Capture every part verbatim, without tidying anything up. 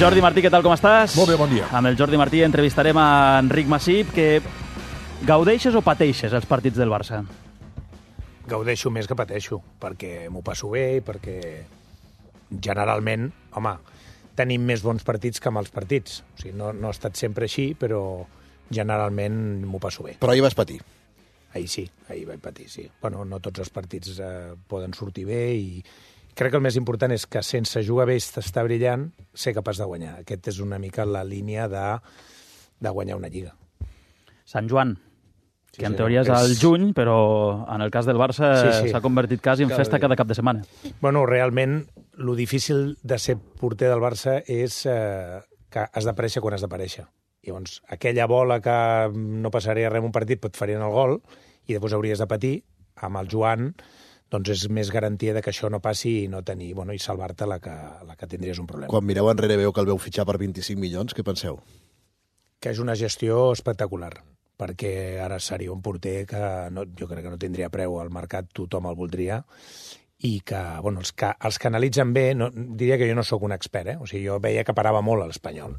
Jordi Martí, què tal, com estàs? Molt bé, bon dia. Amb el Jordi Martí entrevistarem a Enric Masip, que gaudeixes o pateixes els partits del Barça? Gaudeixo més que pateixo, perquè m'ho passo bé i perquè generalment, home, tenim més bons partits que mals partits. O sigui, no, no ha estat sempre així, però generalment m'ho passo bé. Però ahir vas patir. Ahir sí, ahir vaig patir, sí. Bueno, no tots els partits eh, poden sortir bé i crec que el més important és que sense jugar bé i estar brillant, ser capaç de guanyar. Aquest és una mica la línia de, de guanyar una lliga. Sant Joan, Sí, que en sí, teoria és és- al juny, però en el cas del Barça Sí, sí. s'ha convertit quasi en Cada festa dia. cada cap de setmana. Bueno, realment, lo difícil de ser porter del Barça és eh, que has d'aparèixer quan has d'aparèixer. Llavors, aquella bola que no passaria res en un partit pot fer-hi en el gol i després hauries de patir, amb el Joan doncs és més garantia de que això no passi i no tenir, bueno, i salvar-te la que, la que tindries un problema. Quan mireu enrere veu que el veu fitxar per vint-i-cinc milions, què penseu? Que és una gestió espectacular, perquè ara seria un porter que no, jo crec que no tindria preu al mercat, tothom el voldria, i que, bueno, els que, els que analitzen bé, no, diria que jo no sóc un expert, eh? O sigui, jo veia que parava molt a l'Espanyol,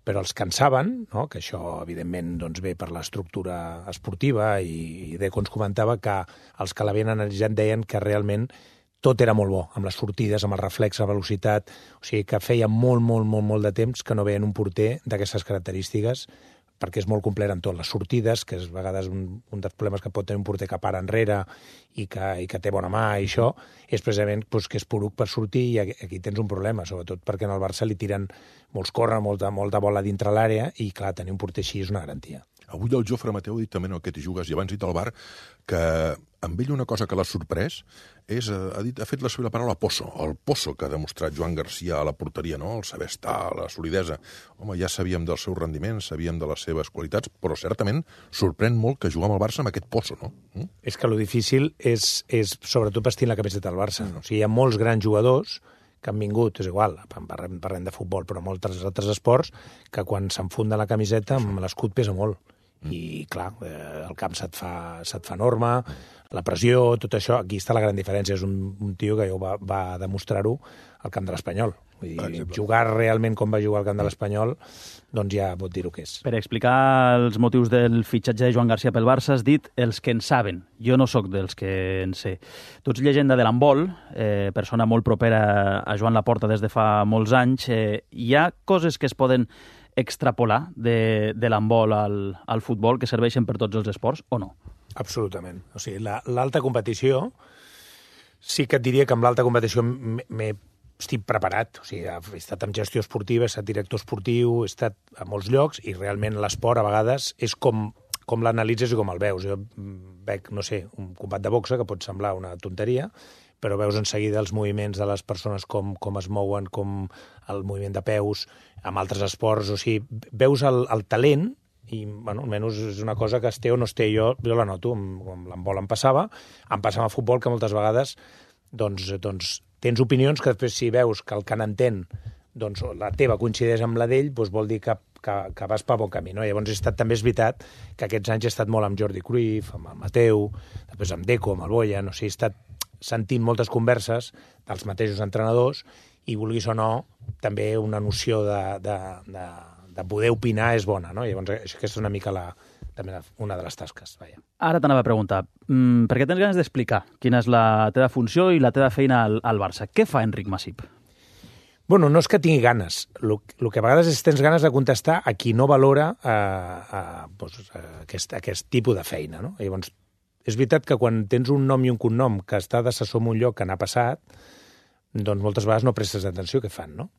però els que en saben, no? Que això, evidentment, doncs, ve per l'estructura esportiva i, i de com ens comentava que els que l'havien analitzat deien que realment tot era molt bo, amb les sortides, amb el reflex, la velocitat, o sigui que feia molt, molt, molt, molt de temps que no veien un porter d'aquestes característiques, perquè és molt complet en tot. Les sortides, que és a vegades un, un dels problemes que pot tenir un porter que para enrere i que, i que té bona mà i això, és precisament doncs, que és poruc per sortir i aquí, aquí tens un problema, sobretot perquè en el Barça li tiren molts corren, molta, molta bola dintre l'àrea i, clar, tenir un porter així és una garantia. Avui el Jofre Mateu ha dit també en aquest i jugues, i abans dit al bar, que amb ell una cosa que l'ha sorprès és, ha, dit, ha fet la seva paraula pozo, el pozo que ha demostrat Joan Garcia a la porteria, no? El saber estar, la solidesa. Home, ja sabíem del seu rendiment, sabíem de les seves qualitats, però certament sorprèn molt que jugar amb el Barça amb aquest pozo, no? Mm? És que lo difícil és, és sobretot vestir la camiseta del Barça. O sigui, hi ha molts grans jugadors que han vingut, és igual, parlem, parlem de futbol, però molts altres esports, que quan s'enfunda la camiseta amb l'escut pesa molt. I, clar, eh, el camp se't fa, se't fa enorme, la pressió, tot això, aquí està la gran diferència. És un, un tio que jo va, va demostrar-ho al camp de l'Espanyol. Vull dir, jugar realment com va jugar al camp de l'Espanyol, doncs ja pot dir-ho que és. Per explicar els motius del fitxatge de Joan Garcia pel Barça has dit els que en saben. Jo no sóc dels que en sé. Tu ets llegenda de l'handbol, eh, persona molt propera a Joan Laporta des de fa molts anys. Eh, hi ha coses que es poden extrapolar de, de l'handbol al, al futbol que serveixen per tots els esports o no? Absolutament. O sigui, la- l'alta competició, sí que et diria que amb l'alta competició m'he- m'he estic preparat. O sigui, he estat en gestió esportiva, he estat director esportiu, he estat a molts llocs i realment l'esport a vegades és com, com l'analitzes i com el veus. Jo mm, veig, no sé, un combat de boxa que pot semblar una tonteria, però veus en seguida els moviments de les persones, com, com es mouen, com el moviment de peus, amb altres esports, o sigui, veus el, el talent i, bueno, almenys és una cosa que es té o no es té. Jo, jo la noto, amb, amb l'handbol em passava, em passava a futbol, que moltes vegades doncs, doncs, tens opinions que després si veus que el que n'entén doncs, la teva coincideix amb la d'ell, doncs vol dir que, que, que vas per bon camí. No? Llavors, he estat, també és veritat que aquests anys he estat molt amb Jordi Cruyff, amb el Mateu, després amb Deco, amb el Boyan, o sigui, he estat sentint moltes converses dels mateixos entrenadors i, vulguis o no, també una noció de, de, de, de poder opinar és bona, no? Llavors, aquesta és una mica la, també una de les tasques. Vaja. Ara t'anava a preguntar, mm, perquè tens ganes d'explicar quina és la teva funció i la teva feina al, al Barça. Què fa Enric Masip? Bueno, no és que tingui ganes. El que a vegades és tens ganes de contestar a qui no valora eh, eh, doncs, eh, aquest, aquest tipus de feina, no? Llavors, és veritat que quan tens un nom i un cognom que està d'assessor en un lloc que n'ha passat, doncs moltes vegades no prestes atenció què fan, no?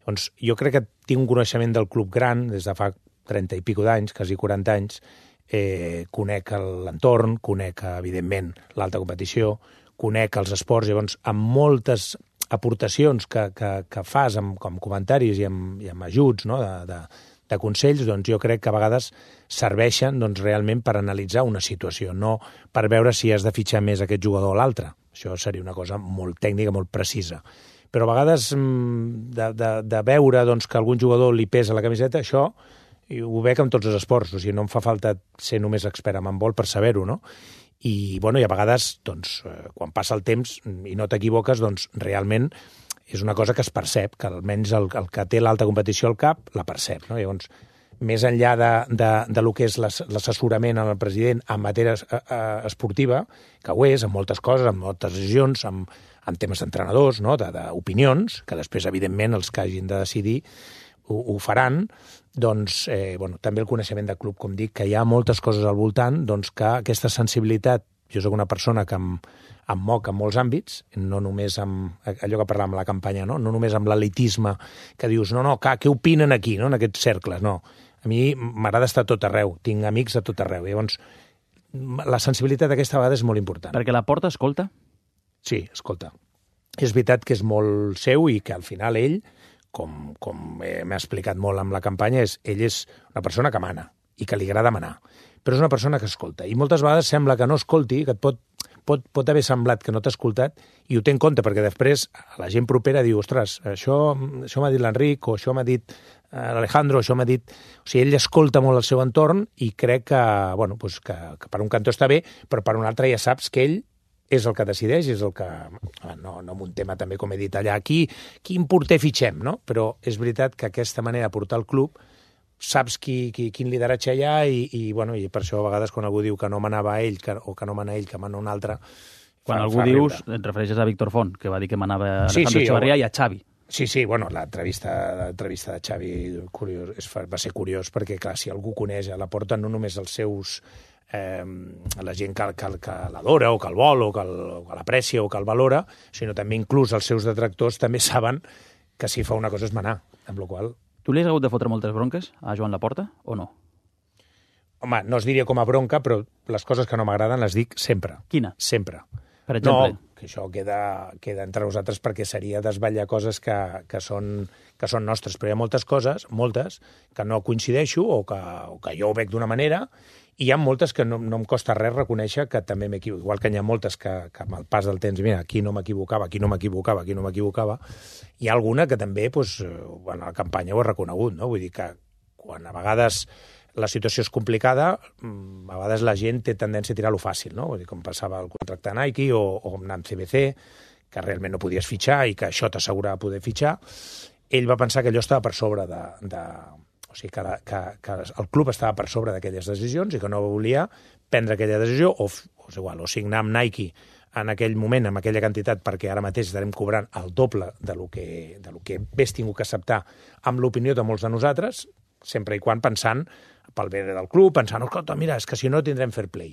Doncs jo crec que tinc un coneixement del club gran des de fa trenta i pico d'anys, quasi quaranta anys, eh, conec l'entorn, conec, evidentment, l'alta competició, conec els esports, llavors, amb moltes aportacions que, que, que fas amb, com comentaris i amb, i amb ajuts, no?, de, de, de consells, doncs jo crec que a vegades serveixen doncs, realment per analitzar una situació, no per veure si has de fitxar més aquest jugador o l'altre. Això seria una cosa molt tècnica, molt precisa. Però a vegades de, de, de veure doncs, que algun jugador li pesa la camiseta, això ho veig amb tots els esports, o sigui, no em fa falta ser només expert en handbol per saber-ho, no? I, bueno, i a vegades, doncs, quan passa el temps i no t'equivoques, doncs, realment és una cosa que es percep, que almenys el, el que té l'alta competició al cap la percep. No? Llavors, més enllà de, de, de lo que és l'assessorament al president en matèria esportiva, que ho és, en moltes coses, en moltes decisions, en, en temes d'entrenadors, no? d'opinions, que després, evidentment, els que hagin de decidir ho, ho faran, doncs, eh, bueno, també el coneixement del club, com dic, que hi ha moltes coses al voltant, doncs que aquesta sensibilitat, jo sóc una persona que em, em moc en molts àmbits, no només amb allò que parlàvem a la campanya, no, no només amb l'elitisme, que dius, no, no, que, què opinen aquí, no? En aquests cercles, no. A mi m'agrada estar a tot arreu, tinc amics a tot arreu. Llavors, la sensibilitat aquesta vegada és molt important. Perquè la Porta escolta? Sí, escolta. És veritat que és molt seu i que al final ell, com, com m'ha explicat molt amb la campanya, és, ell és una persona que mana i que li agrada manar, però és una persona que escolta. I moltes vegades sembla que no escolti, que et pot, pot, pot haver semblat que no t'ha escoltat i ho té en compte, perquè després la gent propera diu, ostres, això, això m'ha dit l'Enric, o això m'ha dit l'Alejandro, això m'ha dit... O sigui, ell escolta molt el seu entorn i crec que, bueno, pues que, que per un cantó està bé, però per un altre ja saps que ell és el que decideix, és el que... No, no amb un tema també, com he dit allà, qui, quin porter fitxem, no? Però és veritat que aquesta manera de portar el club saps qui, qui, quin lideratge hi ha i, i, bueno, i per això a vegades quan algú diu que no manava ell que, o que no mana ell, que mana un altre... Quan fa, algú fa dius, et refereixes a Víctor Font, que va dir que manava Alejandro sí, sí, Echevarría o... i a Xavi. Sí, sí, bueno, l'entrevista l'entrevista de Xavi curiós, és, va ser curiós perquè, clar, si algú coneix a la Porta no només els seus... Eh, la gent que, que, que l'adora o que el vol o que l'aprecia o que el valora, sinó també inclús els seus detractors també saben que si fa una cosa és manar, amb la qual... Tu li has hagut de fotre moltes bronques a Joan Laporta o no? Home, no es diria com a bronca, però les coses que no m'agraden les dic sempre. Quina? Sempre. Per exemple? No, que això queda, queda entre nosaltres perquè seria desvetllar coses que, que, són, que són nostres, però hi ha moltes coses, moltes, que no coincideixo o que, o que jo ho veig d'una manera i hi ha moltes que no, no em costa res reconèixer que també m'equivoco. Igual que hi ha moltes que, que amb el pas del temps, mira, aquí no m'equivocava, aquí no m'equivocava, aquí no m'equivocava. Hi ha alguna que també, doncs, en la campanya ho he reconegut, no? Vull dir que quan a vegades la situació és complicada, a vegades la gent té tendència a tirar-lo fàcil, no? Vull dir, com passava el contracte a Nike o, o amb C B C, que realment no podies fitxar i que això t'assegurava poder fitxar, ell va pensar que allò estava per sobre de... de o sigui, que, la, que, que el club estava per sobre d'aquelles decisions i que no volia prendre aquella decisió o, o, és igual, o signar amb Nike en aquell moment, amb aquella quantitat, perquè ara mateix estarem cobrant el doble de lo que, de lo que hagués tingut que acceptar amb l'opinió de molts de nosaltres, sempre i quan pensant pel bé del club, pensant, escolta, mira, és que si no tindrem fair play.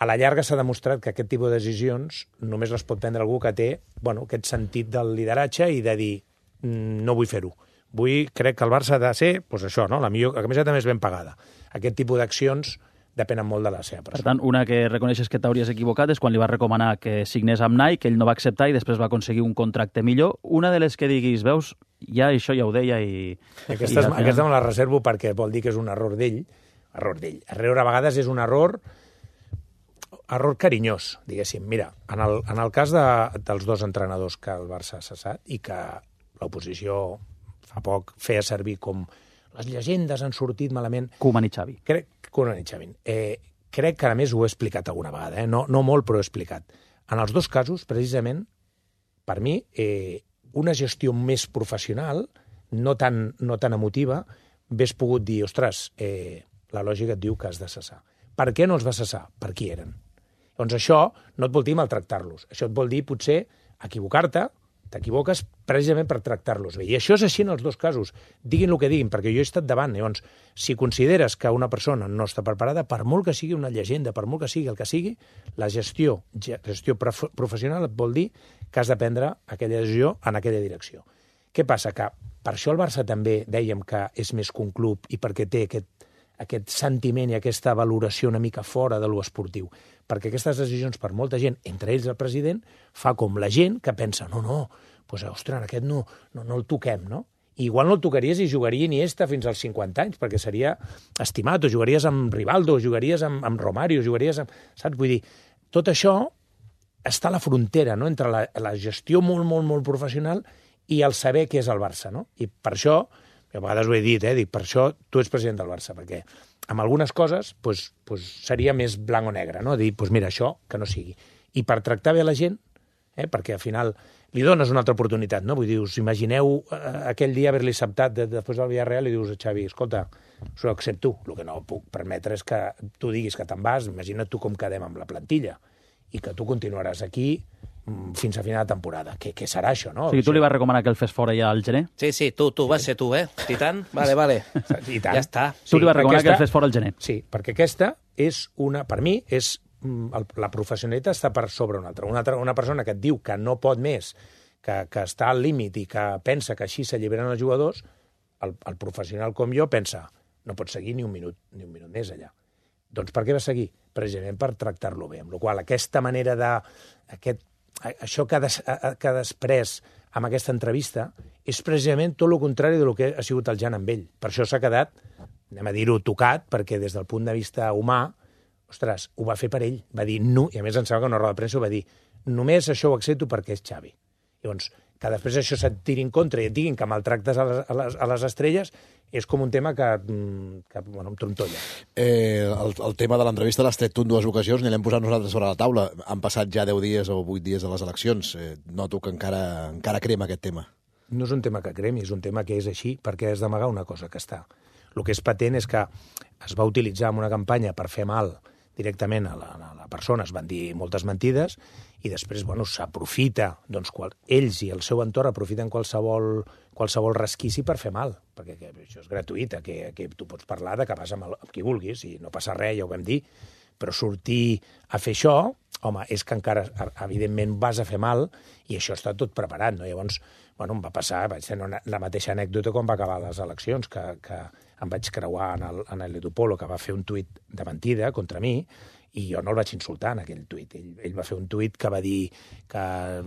A la llarga s'ha demostrat que aquest tipus de decisions només les pot prendre algú que té, bueno, aquest sentit del lideratge i de dir, no vull fer-ho. Vull, crec que el Barça ha de ser, doncs això, no? La millor, la camiseta més ben pagada. Aquest tipus d'accions depenen molt de la seva persona. Per tant, una que reconeixes que t'hauries equivocat és quan li va recomanar que signés amb Nike, que ell no va acceptar i després va aconseguir un contracte millor. Una de les que diguis, veus, ja això ja ho deia i... Aquesta, i aquesta me la reservo perquè vol dir que és un error d'ell. Error d'ell. Error a vegades és un error... error carinyós, diguéssim. Mira, en el, en el cas de, dels dos entrenadors que el Barça ha cessat i que l'oposició fa poc feia servir com les llegendes han sortit malament... Koeman i Xavi. Crec, Koeman i Xavi. Eh, crec que, a més, ho he explicat alguna vegada, eh? no, no molt, però ho he explicat. En els dos casos, precisament, per mi, eh, una gestió més professional, no tan, no tan emotiva, hauria pogut dir, ostres, eh, la lògica et diu que has de cessar. Per què no els va cessar? Per qui eren? Doncs això no et vol dir maltractar-los. Això et vol dir, potser, equivocar-te, t'equivoques precisament per tractar-los bé. I això és així en els dos casos. Diguin el que diguin, perquè jo he estat davant. Llavors, si consideres que una persona no està preparada, per molt que sigui una llegenda, per molt que sigui el que sigui, la gestió, gestió professional et vol dir que has de prendre aquella decisió en aquella direcció. Què passa? Que per això el Barça també dèiem que és més que un club i perquè té aquest, aquest sentiment i aquesta valoració una mica fora de lo esportiu. Perquè aquestes decisions, per molta gent, entre ells el president, fa com la gent que pensa, no, no, doncs, ostres, aquest no, no, no el toquem, no? I igual no el tocaries i jugaria Iniesta fins als cinquanta anys, perquè seria estimat, o jugaries amb Rivaldo, o jugaries amb, amb Romario, o jugaries amb... Saps? Vull dir, tot això està a la frontera, no?, entre la, la gestió molt, molt, molt professional i el saber què és el Barça, no? I per això, a vegades ho he dit, eh, dic, per això tu ets president del Barça, perquè amb algunes coses pues, pues, seria més blanc o negre, no? Dir, pues mira, això que no sigui. I per tractar bé la gent, eh, perquè al final li dones una altra oportunitat, no? Vull dir, us imagineu eh, aquell dia haver-li acceptat de, després del Villarreal i dius a Xavi, escolta, s'ho accepto. El que no puc permetre és que tu diguis que te'n vas, imagina't tu com quedem amb la plantilla i que tu continuaràs aquí fins a final de temporada. Què, què serà això, no? O sigui, tu li vas recomanar que el fes fora ja al gener? Sí, sí, tu, tu, vas ser tu, eh? I tant? Vale, vale. I tant. Ja està. Tu li vas recomanar aquesta, que el fes fora al gener? Sí, perquè aquesta és una, per mi, és el, la professionalitat està per sobre una altra. Una, altra. una persona que et diu que no pot més, que, que està al límit i que pensa que així s'alliberen els jugadors, el, el professional com jo pensa, no pot seguir ni un minut, ni un minut més allà. Doncs per què va seguir? Precisament per tractar-lo bé. Amb la qual cosa, aquesta manera de... Aquest, això que ha, des, que ha després amb aquesta entrevista és precisament tot el contrari del que ha sigut el Jan amb ell. Per això s'ha quedat, anem a dir-ho, tocat, perquè des del punt de vista humà, ostres, ho va fer per ell. Va dir no, i a més em sembla que una roda de premsa ho va dir, només això ho accepto perquè és Xavi. Llavors, que després això se't tiri en contra i et diguin que maltractes a les, a les, a les estrelles és com un tema que, que bueno, em trontolla. Eh, el, el tema de l'entrevista l'has tret tu en dues ocasions, ni l'hem posat nosaltres sobre la taula. Han passat ja deu dies o vuit dies de les eleccions. Eh, noto que encara, encara crema aquest tema. No és un tema que cremi, és un tema que és així, perquè has d'amagar una cosa que està. El que és patent és que es va utilitzar en una campanya per fer mal directament a la, a la persona, es van dir moltes mentides, i després bueno, s'aprofita, doncs, qual, ells i el seu entorn aprofiten qualsevol, qualsevol resquici per fer mal, perquè que, això és gratuït, que, que tu pots parlar de que vas amb, el, amb qui vulguis, i no passa res, ja ho vam dir, però sortir a fer això, home, és que encara, evidentment, vas a fer mal, i això està tot preparat, no? Llavors, bueno, em va passar, vaig tenir la mateixa anècdota quan va acabar les eleccions, que, que em vaig creuar en el, en el Edu Polo, que va fer un tuit de mentida contra mi, i jo no el vaig insultar en aquell tuit. Ell, ell va fer un tuit que va dir que,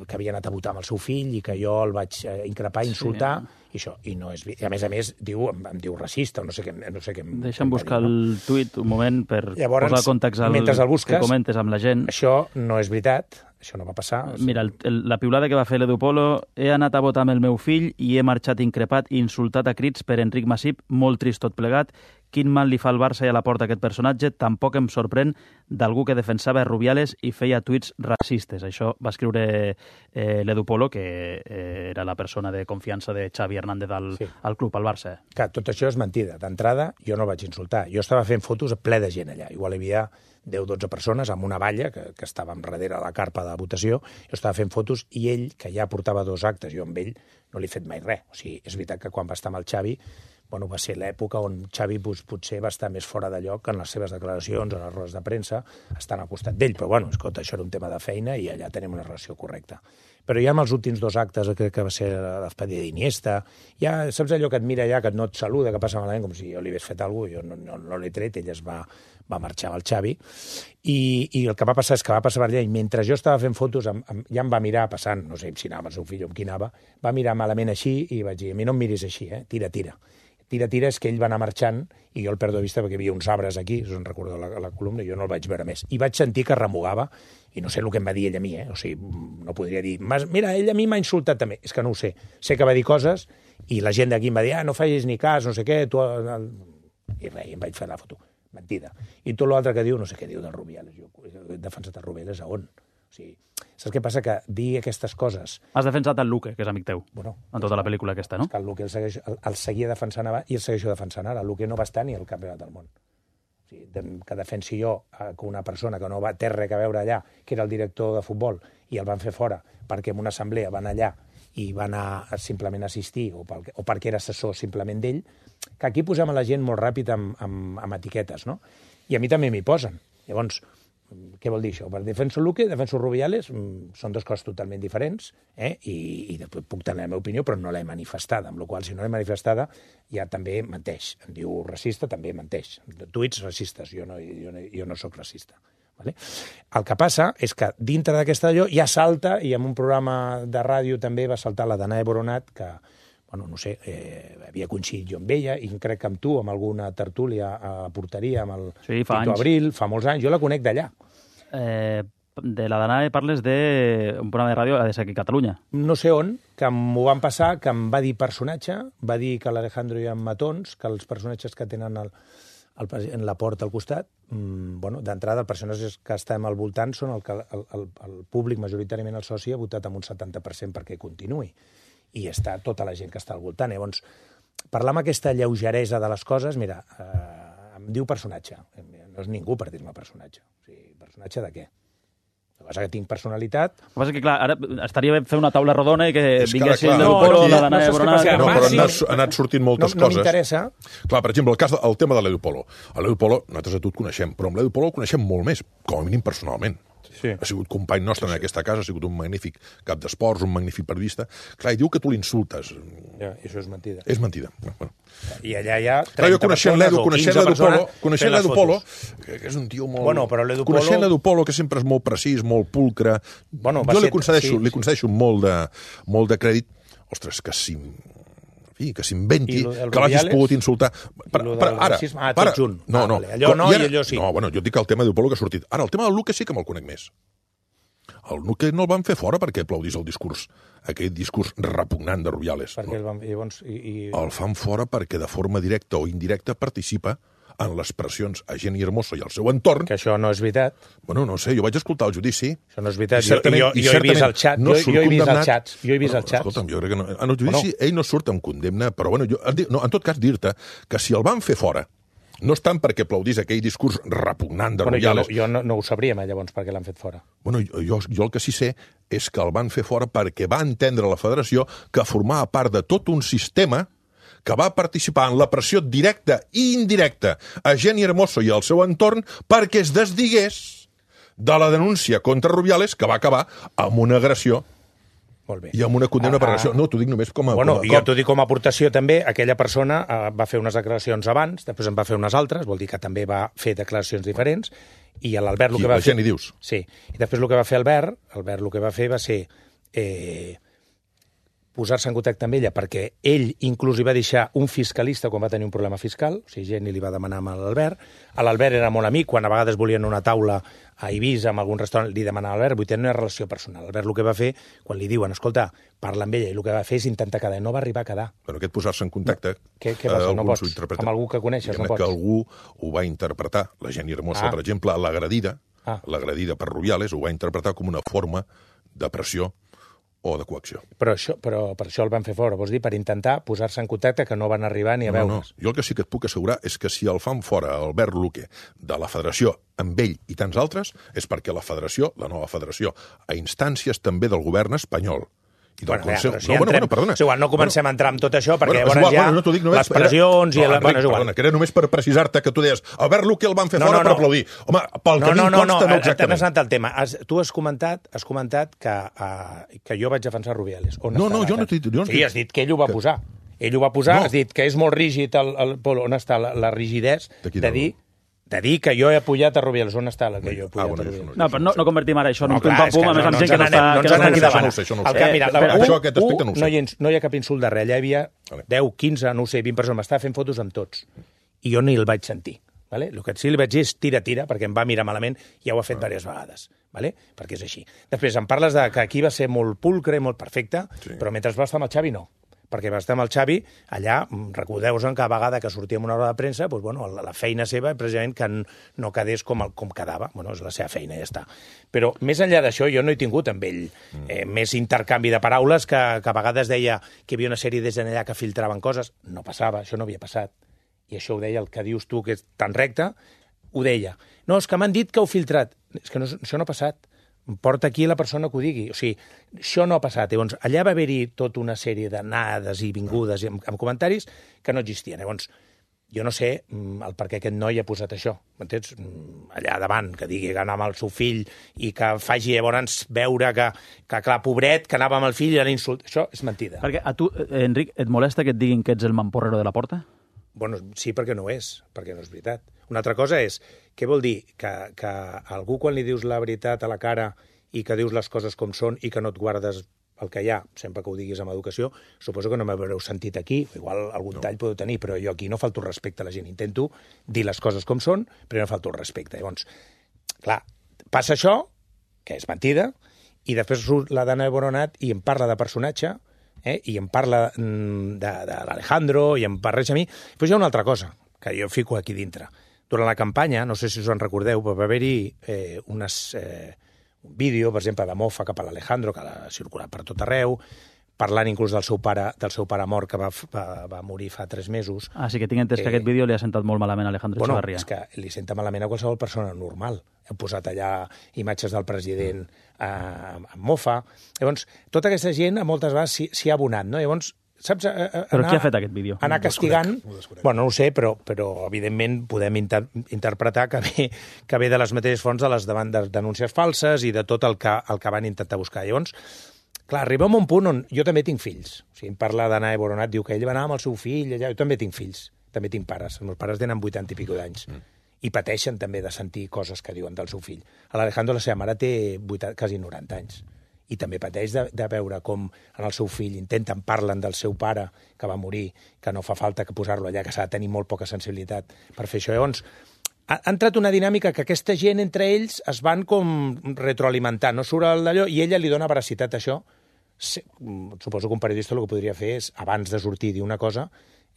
que havia anat a votar amb el seu fill i que jo el vaig increpar, insultar, sí. i això. I, no és, i a més a més diu, em, em diu racista, no sé què... No sé què Deixa'm buscar dir, no? el tuit un moment per Llavors, posar context al mentre el busques, que comentes amb la gent. Això no és veritat, això no va passar. Mira, el, el, la piulada que va fer l'Edu Polo, he anat a votar amb el meu fill i he marxat increpat i insultat a crits per Enric Masip, molt trist tot plegat. Quin mal li fa al Barça i a la porta aquest personatge, tampoc em sorprèn d'algú que defensava Rubiales i feia tuits racistes. Això va escriure eh, l'Edu Polo, que eh, era la persona de confiança de Xavi Hernández al, sí. al club, al Barça. Que tot això és mentida. D'entrada, jo no el vaig insultar. Jo estava fent fotos ple de gent allà. Igual hi havia deu o dotze persones amb una valla que, que estàvem darrere la carpa de votació. Jo estava fent fotos i ell, que ja portava dos actes, jo amb ell no li he fet mai res. O sigui, és veritat que quan va estar amb el Xavi, bueno, va ser l'època on Xavi pues, potser va estar més fora de lloc en les seves declaracions, en les rodes de premsa, estant al costat d'ell. Però, bueno, escolta, això era un tema de feina i allà tenim una relació correcta. Però ja amb els últims dos actes, crec que va ser la despedida d'Iniesta, ja saps allò que et mira allà, que no et saluda, que passa malament, com si jo li hagués fet alguna cosa, jo no, no, no l'he tret, ell es va, va marxar amb el Xavi, i, i el que va passar és que va passar per allà, i mentre jo estava fent fotos, em, em, ja em va mirar passant, no sé si anava el seu fill o amb qui anava, va mirar malament així, i vaig dir, a mi no em miris així, eh? tira, tira. Tira, tira, és que ell va anar marxant i jo el perdo de vista perquè hi havia uns arbres aquí, us en recordo la, la columna, i jo no el vaig veure més. I vaig sentir que remugava, i no sé el que em va dir ell a mi, eh? O sigui, no podria dir, mira, ell a mi m'ha insultat també. És que no ho sé. Sé que va dir coses i la gent d'aquí em va dir, ah, no facis ni cas, no sé què, tu... I res, em vaig fer la foto. Mentida. I tot l'altre que diu, no sé què diu del Rubiales. Jo he defensat el Rubiales a on? O sigui, saps què passa? Que dir aquestes coses... Has defensat el Luque, que és amic teu, bueno, en tota la pel·lícula aquesta, no? És que el Luque el, segueix, el, el seguia defensant abans i el segueixo defensant ara. El Luque no va estar ni al campionat del món. O sigui, que defensi jo que una persona que no va té res a veure allà, que era el director de futbol, i el van fer fora perquè en una assemblea van allà i van a simplement assistir, o, pel, o perquè era assessor simplement d'ell, que aquí posem a la gent molt ràpid amb, amb, amb etiquetes, no? I a mi també m'hi posen. Llavors, què vol dir això? Per defenso Luque, defenso Rubiales, són dues coses totalment diferents, eh? I, i després puc tenir la meva opinió, però no l'he manifestada, amb la qual cosa, si no l'he manifestada, ja també menteix. Em diu racista, també menteix. Tuits racistes, jo no, jo no, jo no sóc racista. Vale? El que passa és que dintre d'aquesta allò ja salta, i en un programa de ràdio també va saltar la Danae Boronat, que, bueno, no sé, eh, havia coincidit jo amb ella, i crec que amb tu, amb alguna tertúlia a la porteria, amb el sí, fa Tito Abril, fa molts anys, jo la conec d'allà. Eh, de la Danae parles d'un programa de ràdio a aquí a Catalunya. No sé on, que m'ho van passar, que em va dir personatge, va dir que l'Alejandro hi ha matons, que els personatges que tenen el, en la porta al costat, mmm, bueno, d'entrada, els personatges que estem al voltant són el que el, el, el públic, majoritàriament el soci, ha votat amb un setanta per cent perquè continuï. I està tota la gent que està al voltant. Llavors, parlar amb aquesta lleugeresa de les coses, mira, eh, em diu personatge. No és ningú per dir-me personatge. O sigui, personatge de què? El que passa que tinc personalitat... El que passa que, clar, ara estaria bé fer una taula rodona i que És que vinguessin ara, de clar, Lupolo, no, la no, Danae no, Boronat... no, No, però han sí. anat, han anat sortint moltes no, no coses. m'interessa. Clar, per exemple, el cas de, el tema de l'Edu-Polo. A l'Edu-Polo, nosaltres a tu et coneixem, però amb l'Edu-Polo el coneixem molt més, com a mínim personalment. Sí. Ha sigut company nostre en aquesta casa, ha sigut un magnífic cap d'esports, un magnífic periodista. Clar, i diu que tu l'insultes. Ja, i això és mentida. És mentida. Bueno. I allà hi ha Clar, jo trenta coneixent persones l'Edu, o coneixent quinze l'Edu-Polo, persones coneixent fent les l'Edu-Polo, fotos. que és un tio molt... Bueno, però l'Edu-Polo- Coneixent l'Edu-Polo, que sempre és molt precís, molt pulcre, Bueno, va jo li ser- concedeixo, sí, li sí. concedeixo molt de, molt de crèdit. Ostres, que si... I que s'inventi, I lo del que l'hagis Rubiales? pogut insultar. I lo del racisme? Ah, tot junt. No, Ah, no. vale. Allò no I i allò sí. No, bueno, jo et dic el tema d'Edu-Polo que ha sortit. Ara, el tema del Luque sí que me'l conec més. El Luque no el van fer fora perquè aplaudís el discurs, aquell discurs repugnant de Rubiales. Perquè el van... I, llavors, i, i... El fan fora perquè de forma directa o indirecta participa en les pressions a Jenny Hermoso i al seu entorn. Que això no és veritat. Bueno, no sé, jo vaig escoltar el judici. Això no és veritat. I Jo, certament- jo, i jo he vist certament el xat. no jo, surt jo he vist els condemnat. xats. Jo he vist Bueno, els xats. Escolta'm, jo crec que no, en el judici Bueno. ell no surt amb condemna, però bueno, jo, no, en tot cas dir-te que si el van fer fora, no és tant perquè aplaudís aquell discurs repugnant de Bueno, jo, no, Rubiales. jo no, no ho sabríem, eh, llavors, perquè l'han fet fora. Bueno, jo, jo, jo el que sí sé és que el van fer fora perquè va entendre la federació que formava part de tot un sistema que va participar en la pressió directa i indirecta a Jenny Hermoso i al seu entorn perquè es desdigués de la denúncia contra Rubiales, que va acabar amb una agressió Molt bé. i amb una condemna Ah, per ah. agressió. No, t'ho dic només com a... Bueno, com a, jo t'ho dic com a aportació també, aquella persona eh, va fer unes declaracions abans, després en va fer unes altres, vol dir que també va fer declaracions diferents, i l'Albert el Qui, que va la fer... Jenny dius? Sí, i després el que va fer Albert, Albert el que va fer va ser eh, posar-se en contacte amb ella, perquè ell inclús hi va deixar un fiscalista quan va tenir un problema fiscal, o sigui, Jenny li va demanar amb l'Albert, a l'Albert era molt amic, quan a vegades volien una taula a Eivissa, en algun restaurant, li demanava a l'Albert, vull tenir una relació personal. Albert el que va fer, quan li diuen, escolta, parla amb ella, i el que va fer és intentar quedar, no va arribar a quedar. Bueno, aquest posar-se en contacte... Què- què passa? eh, No alguns pots? ho interpreten. Amb algú que coneixes, no Diguem-ne pots? que algú ho va interpretar, la Jenny Hermoso, Ah. per exemple, l'agredida, Ah. l'agredida per Rubiales, ho va interpretar com una forma de pressió o de coacció. Però, això, però per això el van fer fora, vols dir, per intentar posar-se en contacte, que no van arribar ni a No, no. veure's. Jo el que sí que et puc assegurar és que si el fan fora Albert Luque de la federació amb ell i tants altres, és perquè la federació, la nova federació, a instàncies també del govern espanyol i del Bueno, ja, Consell... però si no, bueno, entrem, bueno, perdona. és igual, no comencem a entrar en tot això, perquè és llavors igual, ja bueno, no t'ho dic només, les pressions era... i... La... No, Bueno, és igual. perdona, que era només per precisar-te que tu deies Albert Luque el van fer No, fora no, per no. aplaudir. Home, pel No, que a mi no, em no, consta, no, no t'hem exactament. anat al tema. Has, tu has comentat, has comentat que, uh, que jo vaig defensar Rubiales. On No, està no, la- jo no t'he dit- jo no t'he Sí, dit- has dit que ell ho va que- posar. Ell ho va posar, No. has dit que és molt rígid el, el Polo. On està la, la rigidesa De qui, de del- dir, de dir que jo he apoyat a Rubiales. On està la que jo he apoyat Ah, bueno, a això Rubiales? No, però no, no convertim ara això en No, un clar, pum-pam-pum, és que a més no, amb no gent que no ens està... n'anem- no que ens no n'anem està davant. Això no ho sé, això no ho El sé. que, mira, Eh, la, però un, això aquest aspecte no ho sé. no, hi ha, no hi ha cap insult darrere. Allà hi havia Vale. deu, quinze, no ho sé, vint persones. M'estava fent fotos amb tots. I jo ni el vaig sentir. Vale? El que sí li vaig dir és tira, tira, perquè em va mirar malament i ja ho ha fet diverses vegades. Vale? Perquè és així. Després em parles de que aquí va ser molt pulcre, molt perfecte, Sí. però mentre va estar amb el Xavi no. Perquè va estar amb el Xavi, allà, mm, recordeu-vos en cada vegada que sortíem una hora de premsa, doncs, bueno, la, la feina seva, precisament, que n- no quedés com, el, com quedava. Bueno, és la seva feina, ja està. Però, més enllà d'això, jo no he tingut amb ell eh, més intercanvi de paraules que, que a vegades deia que hi havia una sèrie des d'allà que filtraven coses. No passava, això no havia passat. I això ho deia el que dius tu, que és tan recte, ho deia. No, és que m'han dit que heu filtrat. És que no, això no ha passat. Porta aquí la persona que ho digui. O sigui, això no ha passat. Llavors, allà va haver-hi tota una sèrie d'anades i vingudes amb, amb comentaris que no existien. Llavors, jo no sé mm, el per què aquest noi ha posat això. M'entens? Mm, Allà davant, que digui que anava amb el seu fill i que faci llavors veure que, que clar, pobret, que anava amb el fill i l'insult. Això és mentida. Perquè a tu, eh, Enric, et molesta que et diguin que ets el mamporrero de la porta? Bueno, sí, perquè no ho és, perquè no és veritat. Una altra cosa és, què vol dir? Que, que algú quan li dius la veritat a la cara i que dius les coses com són i que no et guardes el que hi ha, sempre que ho diguis amb educació, suposo que no m'haureu sentit aquí, igual algun no. tall podeu tenir, però jo aquí no falto respecte a la gent. Intento dir les coses com són, però no falto respecte. Llavors, clar, passa això, que és mentida, i després surt la Danae Boronat i em parla de personatge, eh? i em parla mm, de, de l'Alejandro, i em parla a mi. Però hi ha una altra cosa, que jo fico aquí dintre. durant la campanya, no sé si us en recordeu, va haver-hi eh, unes, eh, un vídeo, per exemple, de mofa cap a l'Alejandro, que ha circulat per tot arreu, parlant inclús del seu pare, del seu pare mort, que va, va, va morir fa tres mesos. Ah, sí que tinc entès eh, que aquest vídeo li ha sentat molt malament a Alejandro bueno, Echevarría. És que li senta malament a qualsevol persona normal. Hem posat allà imatges del president eh, amb mofa. Llavors, tota aquesta gent, a moltes vegades, s'hi ha abonat, no? Llavors, saps? Eh, eh, però anar, qui ha fet aquest vídeo? Anar castigant... Bueno, no ho sé, però, però evidentment podem inter interpretar que ve, que ve de les mateixes fonts de les demandes, denúncies falses i de tot el que, el que van intentar buscar. Llavors, clar, arribem a un punt on jo també tinc fills. O sigui, em parla d'Anna Boronat, diu que ell va anar amb el seu fill, allà. Jo també tinc fills, també tinc pares. Els meus pares tenen vuitanta i pico d'anys. Mm. I pateixen també de sentir coses que diuen del seu fill. L'Alejandro, la seva mare, té vuitanta, quasi noranta anys. I també pateix de, de veure com en el seu fill intenten, parlen del seu pare que va morir, que no fa falta que posar-lo allà, que s'ha de tenir molt poca sensibilitat per fer això. Llavors, ha, ha entrat una dinàmica que aquesta gent entre ells es van com retroalimentar, no surt d'allò, i ella li dona veracitat a això. Suposo que un periodista el que podria fer és, abans de sortir i dir una cosa,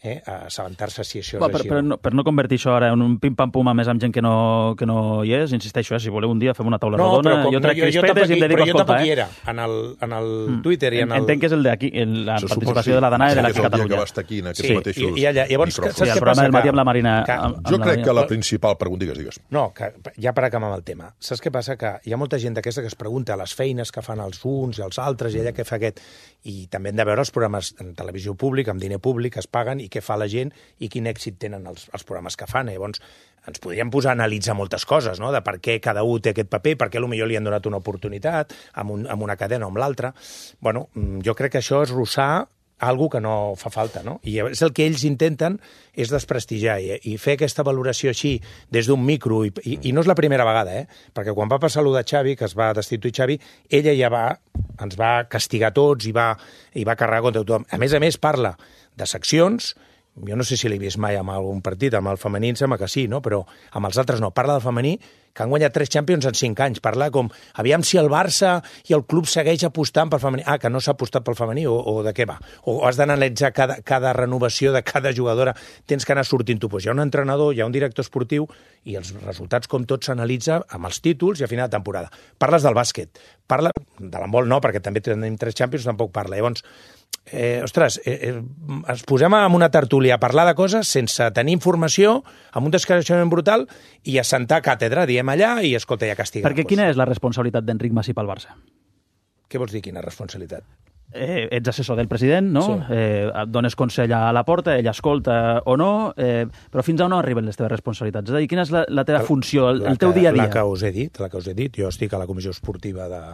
eh, assabentar-se si això Va, és per, així. per, no, per no convertir això ara en un pim-pam-pum a més amb gent que no, que no hi és, insisteixo, eh, si voleu un dia fem una taula no, rodona, com, jo trec no, jo, crispetes i em dedico a escoltar. Però jo tampoc eh? hi era, en el, en el mm. Twitter i en el... Entenc que és el d'aquí, la Se participació sí. de la Danae i de la Sí, Catalunya. que va estar aquí en aquests sí, mateixos i, i allà, llavors, micròfons. saps Sí, el què programa passa? del matí amb la Marina. Que, amb, amb jo la crec Marina. que la principal... Pregunta, digues, digues. No, que ja per acabar amb el tema. Saps què passa? Que hi ha molta gent d'aquesta que es pregunta les feines que fan els uns i els altres i ella què fa aquest. I també hem de veure els programes en televisió pública, amb diner públic, es paguen i què fa la gent i quin èxit tenen els, els programes que fan. Llavors, ens podríem posar a analitzar moltes coses, no?, de per què cada un té aquest paper, per què potser li han donat una oportunitat amb, un, amb una cadena o amb l'altra. Bueno, jo crec que això és rossar algo que no fa falta, no? I és el que ells intenten és desprestigiar i, i fer aquesta valoració així des d'un micro, i, i, i no és la primera vegada, eh? Perquè quan va passar allò de Xavi, que es va destituir Xavi, ella ja va, ens va castigar tots i va, i va carregar contra tothom. A més a més, parla de seccions. Jo no sé si l'he vist mai amb algun partit, amb el femení em sembla que sí, no? Però amb els altres no. Parla del femení, que han guanyat tres Champions en cinc anys. Parla com, aviam si el Barça i el club segueix apostant pel femení. Ah, que no s'ha apostat pel femení, o, o de què va? O has d'analitzar cada, cada renovació de cada jugadora, tens que anar sortint tu. Pues hi ha un entrenador, hi ha un director esportiu, i els resultats, com tot, s'analitza amb els títols i a final de temporada. Parles del bàsquet. Parla de l'handbol no, perquè també tenim tres Champions, tampoc parla. Llavors, Eh, ostres, eh, eh, ens posem en una tertúlia a parlar de coses sense tenir informació, amb un descareixement brutal, i a sentar càtedra, diem allà, i escolta, ja castiga. Perquè quina és la responsabilitat d'Enric Masip al Barça? Què vols dir, quina responsabilitat? Eh, ets assessor del president, no? Sí. Eh, et dones consell a la porta, ell escolta o no, eh, però fins a on arriben les teves responsabilitats? És a dir, quina és la, la teva funció, el, el teu que, dia a dia? La que us he dit, la que us he dit. Jo estic a la comissió esportiva de,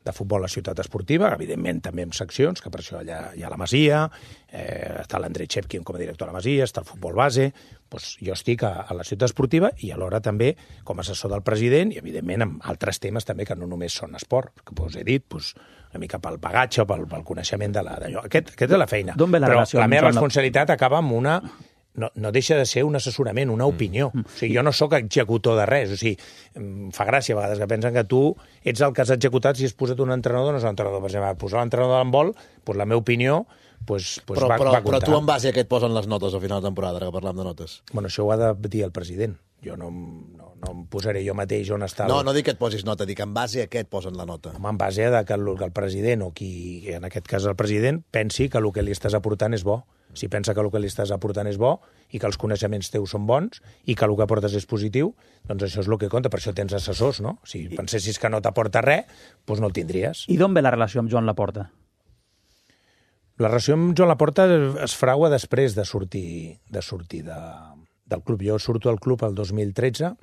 de futbol a la ciutat esportiva, evidentment també amb seccions, que per això allà hi ha la Masia, eh, està l'Andrei Chepkin com a director de la Masia, està el futbol base, doncs jo estic a, a la ciutat esportiva i alhora també com a assessor del president i evidentment amb altres temes també que no només són esport, que us he dit, doncs, una mica pel bagatge o pel, pel coneixement de l'allò. Aquest, aquest és la feina. D'on ve la Però relació la amb meva Joan Lap- responsabilitat acaba amb una... No, no deixa de ser un assessorament, una opinió. O sigui, jo no sóc executor de res. O sigui, em fa gràcia a vegades que pensen que tu ets el que has executat si has posat un entrenador, no és un entrenador. Per exemple, posar l'entrenador de l'handbol, doncs la meva opinió pues, pues però, va, però, va comptar. però tu en base a què et posen les notes al final de temporada, ara que parlam de notes? Bueno, això ho ha de dir el president. Jo no, no, no em posaré jo mateix on està... No, el... no dic que et posis nota, dic en base a què et posen la nota. Home, en base a que el, que el president, o qui, en aquest cas el president, pensi que el que li estàs aportant és bo. Si pensa que el que li estàs aportant és bo i que els coneixements teus són bons i que el que aportes és positiu, doncs això és el que compta. Per això tens assessors, no? Si pensessis que no t'aporta res, doncs no el tindries. I d'on ve la relació amb Joan Laporta? La relació amb Joan Laporta es fragua després de sortir, de sortir de, del club. Jo surto al club el dos mil tretze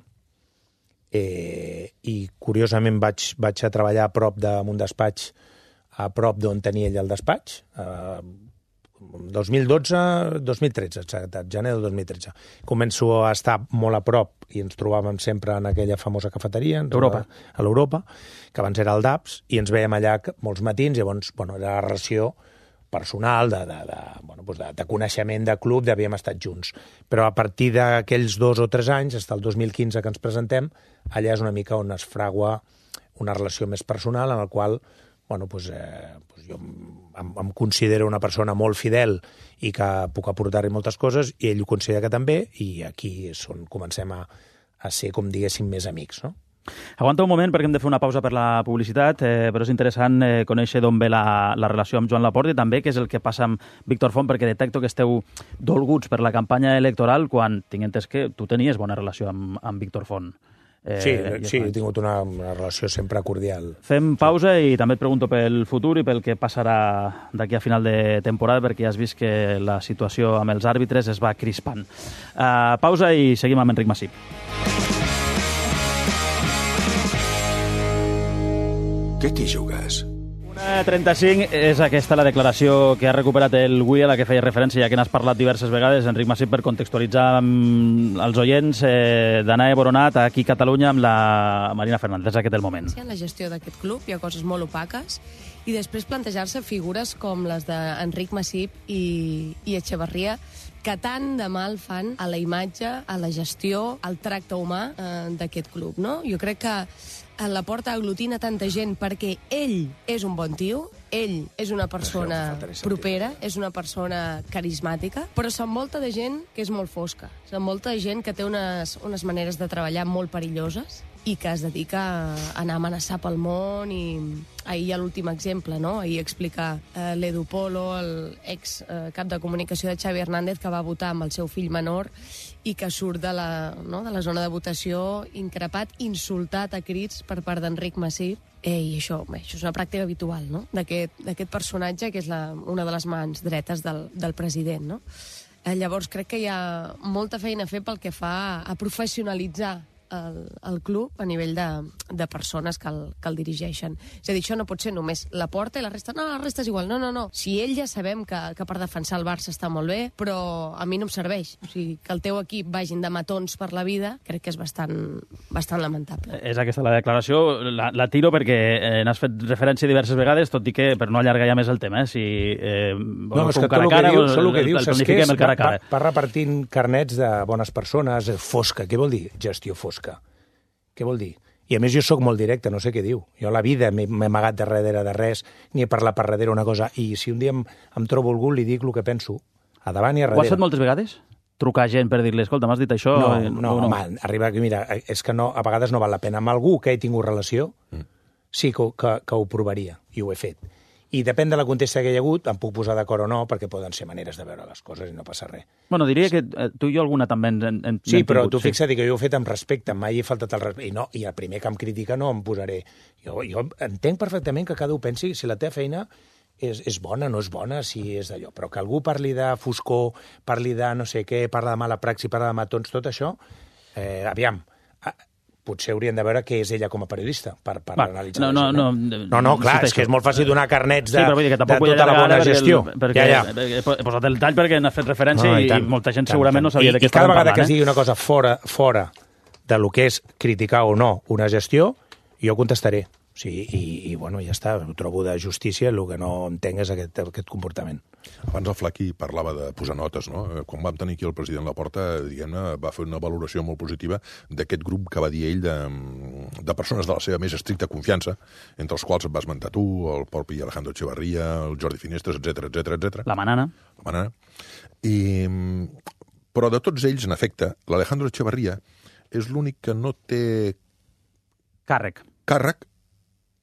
eh, i, curiosament, vaig, vaig a treballar a prop d'un despatx, a prop d'on tenia ell el despatx, eh, dos mil dotze, dos mil tretze, exacte, gener del dos mil tretze. Començo a estar molt a prop i ens trobàvem sempre en aquella famosa cafeteria. Europa. A l'Europa, que abans era el D A P S, i ens veiem allà molts matins, llavors, bueno, era la relació personal, de, de, de, bueno, doncs de, de coneixement de club, d'havíem estat junts. Però a partir d'aquells dos o tres anys, fins al dos mil quinze que ens presentem, allà és una mica on es fragua una relació més personal, en la qual bueno, doncs, eh, doncs jo em, em considero una persona molt fidel i que puc aportar-hi moltes coses, i ell ho considera que també, i aquí és on comencem a, a ser, com diguéssim, més amics, no? Aguanta un moment perquè hem de fer una pausa per la publicitat, eh, però és interessant eh, conèixer d'on ve la, la relació amb Joan Laporta i també què és el que passa amb Víctor Font, perquè detecto que esteu dolguts per la campanya electoral quan tinc entès que tu tenies bona relació amb, amb Víctor Font. Eh, sí, sí, he tingut una, una relació sempre cordial. Fem pausa i també et pregunto pel futur i pel que passarà d'aquí a final de temporada, perquè ja has vist que la situació amb els àrbitres es va crispant. Uh, pausa i seguim amb Enric Masip. Què t'hi jugues? una trenta-cinc és aquesta la declaració que ha recuperat el Wii, a la que feia referència, ja que n'has parlat diverses vegades, Enric Masip, per contextualitzar amb els oients eh, d'Anae Boronat aquí a Catalunya amb la Marina Fernández. És aquest el moment. En la gestió d'aquest club hi ha coses molt opaques i després plantejar-se figures com les d'Enric Masip i, i Echevarría, que tant de mal fan a la imatge, a la gestió, al tracte humà eh, d'aquest club, no? Jo crec que a Laporta aglutina tanta gent perquè ell és un bon tio, ell és una persona propera, és una persona carismàtica, però s'envolta de gent que és molt fosca, s'envolta de gent que té unes, unes maneres de treballar molt perilloses i que es dedica a anar a amenaçar pel món. I ahir hi ha l'últim exemple, no? Ahir explica eh, l'Edu Polo, el ex eh, cap de comunicació de Xavi Hernández, que va votar amb el seu fill menor i que surt de la, no, de la zona de votació increpat, insultat a crits per part d'Enric Masip. Eh, I això, bé, això és una pràctica habitual, no?, d'aquest personatge que és la, una de les mans dretes del, del president, no? Eh, llavors crec que hi ha molta feina a fer pel que fa a professionalitzar El, el club a nivell de, de persones que el, que el dirigeixen. És a dir, això no pot ser només Laporta i la resta. No, la resta és igual. No, no, no. Si ell ja sabem que, que per defensar el Barça està molt bé, però a mi no em serveix. O sigui, que el teu equip vagin de matons per la vida, crec que és bastant, bastant lamentable. És aquesta la declaració. La, la tiro perquè eh, n'has fet referència diverses vegades, tot i que, per no allargar ja més el tema, eh, si eh, no, és que tot el que dius, el, que dius, el, el planifiquem el cara a cara. Va, va repartint carnets de bones persones, fosca. Què vol dir? Gestió fosca. Què vol dir? I a més jo sóc molt directe, no sé què diu. Jo a la vida m'he amagat darrere de res, ni he parlat per darrere una cosa, i si un dia em, em trobo algú, li dic el que penso, a davant i a darrere. Ho has fet moltes vegades? Trucar gent per dir-li, escolta, m'has dit això? No, no, no, no. Home, arriba aquí, mira, és que no, a vegades no val la pena. Amb algú que he tingut relació, mm. sí que, que, que ho provaria, i ho he fet. I depèn de la contesta que hi ha hagut, em puc posar d'acord o no, perquè poden ser maneres de veure les coses i no passa res. Bueno, diria que tu i jo alguna també en, en, sí, en però tingut, tu sí. fixa't que jo ho he fet amb respecte, mai he faltat el respecte. I, no, I el primer que em critica no em posaré. Jo, jo entenc perfectament que cada un pensi si la teva feina és, és bona, no és bona, si és d'allò. Però que algú parli de foscor, parli de no sé què, parla de mala praxi, parla de matons, tot això, eh, aviam, potser haurien de veure què és ella com a periodista per, per Va, analitzar no, això. No, no, no, no clar, és que és molt fàcil donar carnets de, sí, però vull dir que de tota la bona gestió. El, perquè, ja, ja. He posat el tall perquè n'ha fet referència no, i, i, i molta gent tant, segurament tant. No sabia I, de què estàvem parlant. I cada vegada parlant, que es digui una cosa fora, fora de lo que és criticar o no una gestió, jo contestaré. Sí, i, i bueno, ja està, ho trobo de justícia, el que no entenc és aquest, aquest comportament. Abans el Flaqui parlava de posar notes, no? Quan vam tenir aquí el president Laporta, diguem-ne, va fer una valoració molt positiva d'aquest grup que va dir ell de, de persones de la seva més estricta confiança, entre els quals et vas esmentar tu, el propi Alejandro Echevarría, el Jordi Finestres, etcètera, etcètera, etcètera. La Manana. La Manana. I, però de tots ells, en efecte, l'Alejandro Echevarría és l'únic que no té Càrrec. Càrrec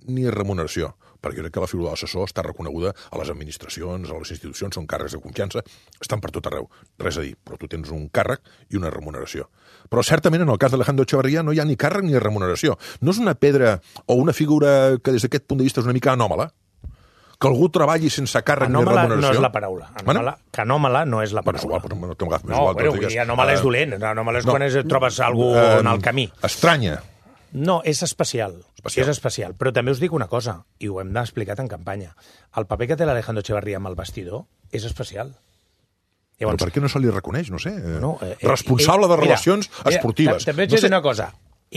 ni remuneració, perquè crec que la figura de l'assessor està reconeguda a les administracions, a les institucions, són càrrecs de confiança, estan per tot arreu. Res a dir, però tu tens un càrrec i una remuneració. Però certament en el cas d'Alejandro Echevarría no hi ha ni càrrec ni remuneració. No és una pedra o una figura que des d'aquest punt de vista és una mica anòmala, que algú treballi sense càrrec anòmala ni remuneració. No és la paraula. Anòmala, bueno? Que anòmala no és la paraula. Bueno, és igual, no, no, no, igual, bueno, vull dir, anòmala uh, és dolent. Anòmala és no, quan és, trobes algú uh, en el camí. Estranya. No, és especial. especial. És especial. Però també us dic una cosa, i ho hem explicat en campanya. El paper que té l'Alejandro Echevarría amb el vestidor és especial. Llavors, però per què no se li reconeix, no sé? No, eh, responsable ell, de relacions mira, esportives. Mira, també et no sé sé. una cosa.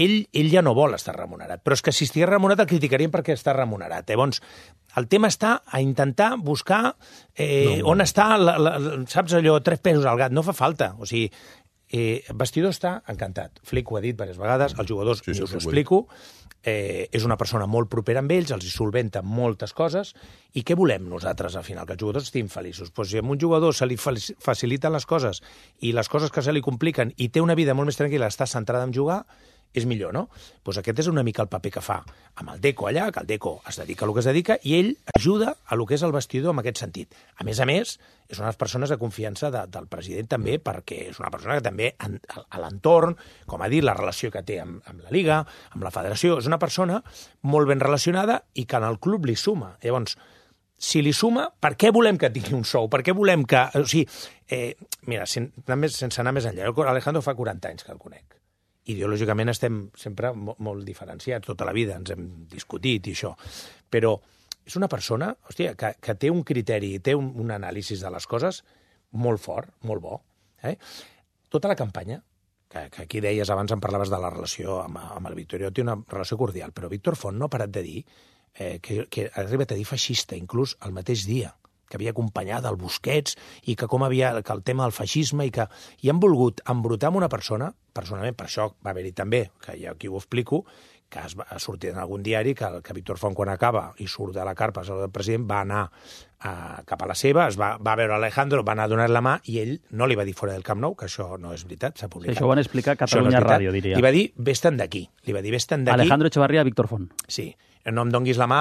Ell, ell ja no vol estar remunerat, però és que si estigués remunerat el criticarien perquè està remunerat. Llavors, el tema està a intentar buscar eh, no, on està, la, la, saps allò, tres pesos al gat. No fa falta. O sigui, Eh, el vestidor està encantat. Flick ho ha dit diverses vegades, els jugadors, Sí, sí, us ho ho he dit. explico, eh, és una persona molt propera amb ells, els hi solventa moltes coses, i què volem nosaltres al final? Que els jugadors estiguin feliços. Pues si a un jugador se li faciliten les coses i les coses que se li compliquen i té una vida molt més tranquil·la, està centrada en jugar, és millor, no? Pues aquest és una mica el paper que fa amb el Deco allà, que el Deco es dedica a lo que es dedica, i ell ajuda a lo que és el vestidor en aquest sentit. A més a més, és una de les persones de confiança de, del president també, perquè és una persona que també en, a l'entorn, com ha dit, la relació que té amb, amb la Liga, amb la Federació, és una persona molt ben relacionada i que en el club li suma. Llavors, si li suma, per què volem que tingui un sou? Per què volem que... O sigui, eh, mira, sen, sense anar més enllà, Alejandro fa quaranta anys que el conec. Ideològicament estem sempre molt, molt diferenciats, tota la vida ens hem discutit i això, però és una persona, hòstia, que, que té un criteri, té un, un anàlisi de les coses molt fort, molt bo. Eh? Tota la campanya, que, que aquí deies abans, em parlaves de la relació amb, amb el Victorio, té una relació cordial, però Víctor Font no ha parat de dir eh, que, que ha arribat a dir feixista, inclús el mateix dia, que havia acompanyat el Busquets i que com havia que el tema del feixisme i que i han volgut embrutar amb una persona, personalment, per això va haver-hi també, que ja aquí ho explico, que es va sortir en algun diari que, que Víctor Font, quan acaba i surt de la carpa del president, va anar a, cap a la seva, es va, va veure Alejandro, va anar a donar la mà i ell no li va dir fora del Camp Nou, que això no és veritat, s'ha publicat. Sí, això ho van explicar a Catalunya no Ràdio, diria. Li va dir, vés-te'n d'aquí. Li va dir, vés-te'n d'aquí. Alejandro Echevarría, Víctor Font. Sí. No em donguis la mà,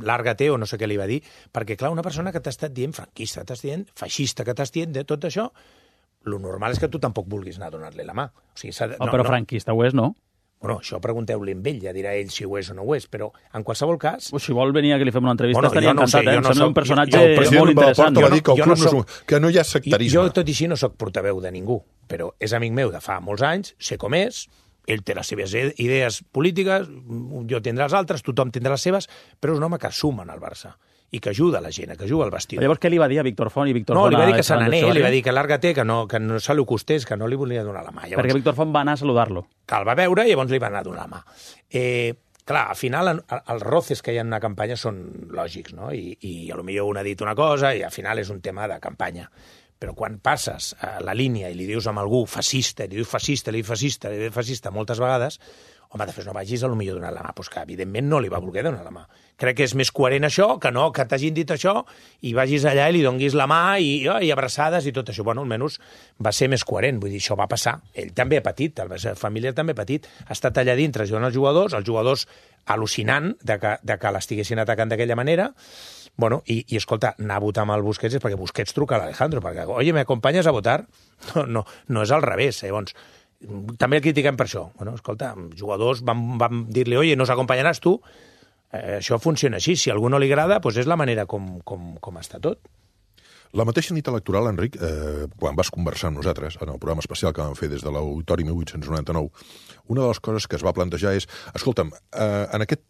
làrgate o no sé què li va dir, perquè, clar, una persona que t'ha estat dient franquista, t'ha estat dient feixista, que t'ha estat dient de tot això, lo normal és que tu tampoc vulguis anar a donar-li la mà. O sigui, de, oh, no, però no. franquista ho és, no? Bueno, això pregunteu-li amb ell, ja dirà ell si ho és o no ho és, però en qualsevol cas... Pues si vol venir a que li fem una entrevista bueno, estaria no encantat, sé, eh? Em no sembla soc, un personatge jo, jo, molt interessant. Va dir que, el club no no soc, que no hi ha sectarisme. Jo, tot i així, no soc portaveu de ningú, però és amic meu de fa molts anys, sé com és, ell té les seves idees polítiques, jo tindré les altres, tothom tindrà les seves, però és un home que suma en el Barça i que ajuda la gent, que ajuda al vestidor. Llavors, què li va dir a Víctor Font i Víctor no, Font? No, li va dir que se n'anés, li va dir que... que lárgate, que no, que no se li acostés, que no li volia donar la mà. Llavors, perquè Víctor Font va anar a saludar-lo. Que el va veure i llavors li va anar a donar la mà. Eh, clar, al final, els roces que hi ha en una campanya són lògics, no? I, i potser un ha dit una cosa i al final és un tema de campanya. Però quan passes a la línia i li dius a algú fascista, li dius fascista, li dius fascista, li dius fascista moltes vegades, home, després no vagis a potser donar la mà, doncs que evidentment no li va voler donar la mà. Crec que és més coherent això, que no, que t'hagin dit això i vagis allà i li donguis la mà i, oh, i abraçades i tot això. Bueno, almenys va ser més coherent, vull dir, això va passar. Ell també ha patit, la seva família també ha patit. Ha estat allà dintre ajudant els jugadors, els jugadors al·lucinant de que, de que l'estiguessin atacant d'aquella manera. Bueno, i, i escolta, anar a votar amb el Busquets és perquè Busquets truca a l'Alejandro, perquè, oye, ¿me acompanyes a votar? No, no, no és al revés, eh? Llavors, també el critiquem per això. Bueno, escolta, jugadors van, van dir-li, oye, nos acompanyaràs tu? Eh, això funciona així. Si a algú no li agrada, doncs és la manera com, com, com està tot. La mateixa nit electoral, Enric, eh, quan vas conversar amb nosaltres en el programa especial que vam fer des de l'Auditori mil vuit-cents noranta-nou, una de les coses que es va plantejar és, escolta'm, eh, en aquest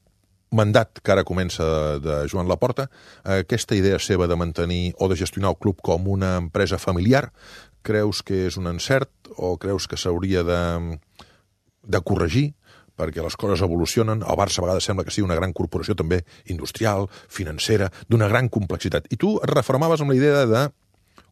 mandat que ara comença de Joan Laporta, eh, aquesta idea seva de mantenir o de gestionar el club com una empresa familiar, creus que és un encert o creus que s'hauria de, de corregir perquè les coses evolucionen? El Barça a vegades sembla que sigui una gran corporació també industrial, financera, d'una gran complexitat. I tu et refermaves amb la idea de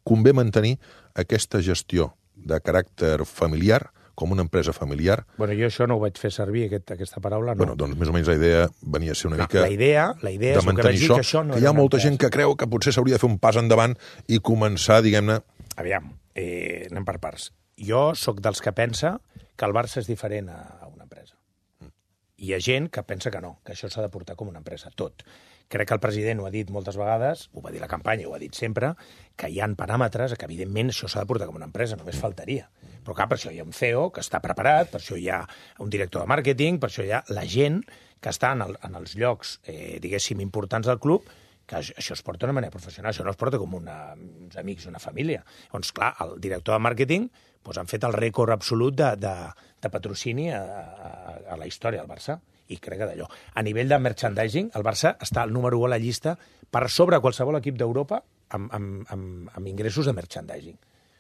convé mantenir aquesta gestió de caràcter familiar com una empresa familiar. Bueno, jo això no ho vaig fer servir, aquest, aquesta paraula, no. Bueno, doncs més o menys la idea venia a ser una no, mica la idea, la idea de mantenir això, que, això no que hi ha molta gent que creu que potser s'hauria de fer un pas endavant i començar, diguem-ne... Aviam, eh, anem per parts. Jo sóc dels que pensa que el Barça és diferent a, a una empresa. Mm. Hi ha gent que pensa que no, que això s'ha de portar com una empresa, tot. Crec que el president ho ha dit moltes vegades, ho va dir la campanya, ho ha dit sempre, que hi ha paràmetres que, evidentment, això s'ha de portar com una empresa, només faltaria. Però, clar, per això hi ha un C E O que està preparat, per això hi ha un director de màrqueting, per això hi ha la gent que està en, el, en els llocs, eh, diguéssim, importants del club, que això es porta d'una manera professional, això no es porta com una, uns amics, una família. Doncs, clar, el director de màrqueting doncs, han fet el rècord absolut de, de, de patrocini a, a, a la història del Barça. I crec que d'allò. A nivell de merchandising, el Barça està al número u a la llista per sobre qualsevol equip d'Europa amb, amb, amb, amb ingressos de merchandising.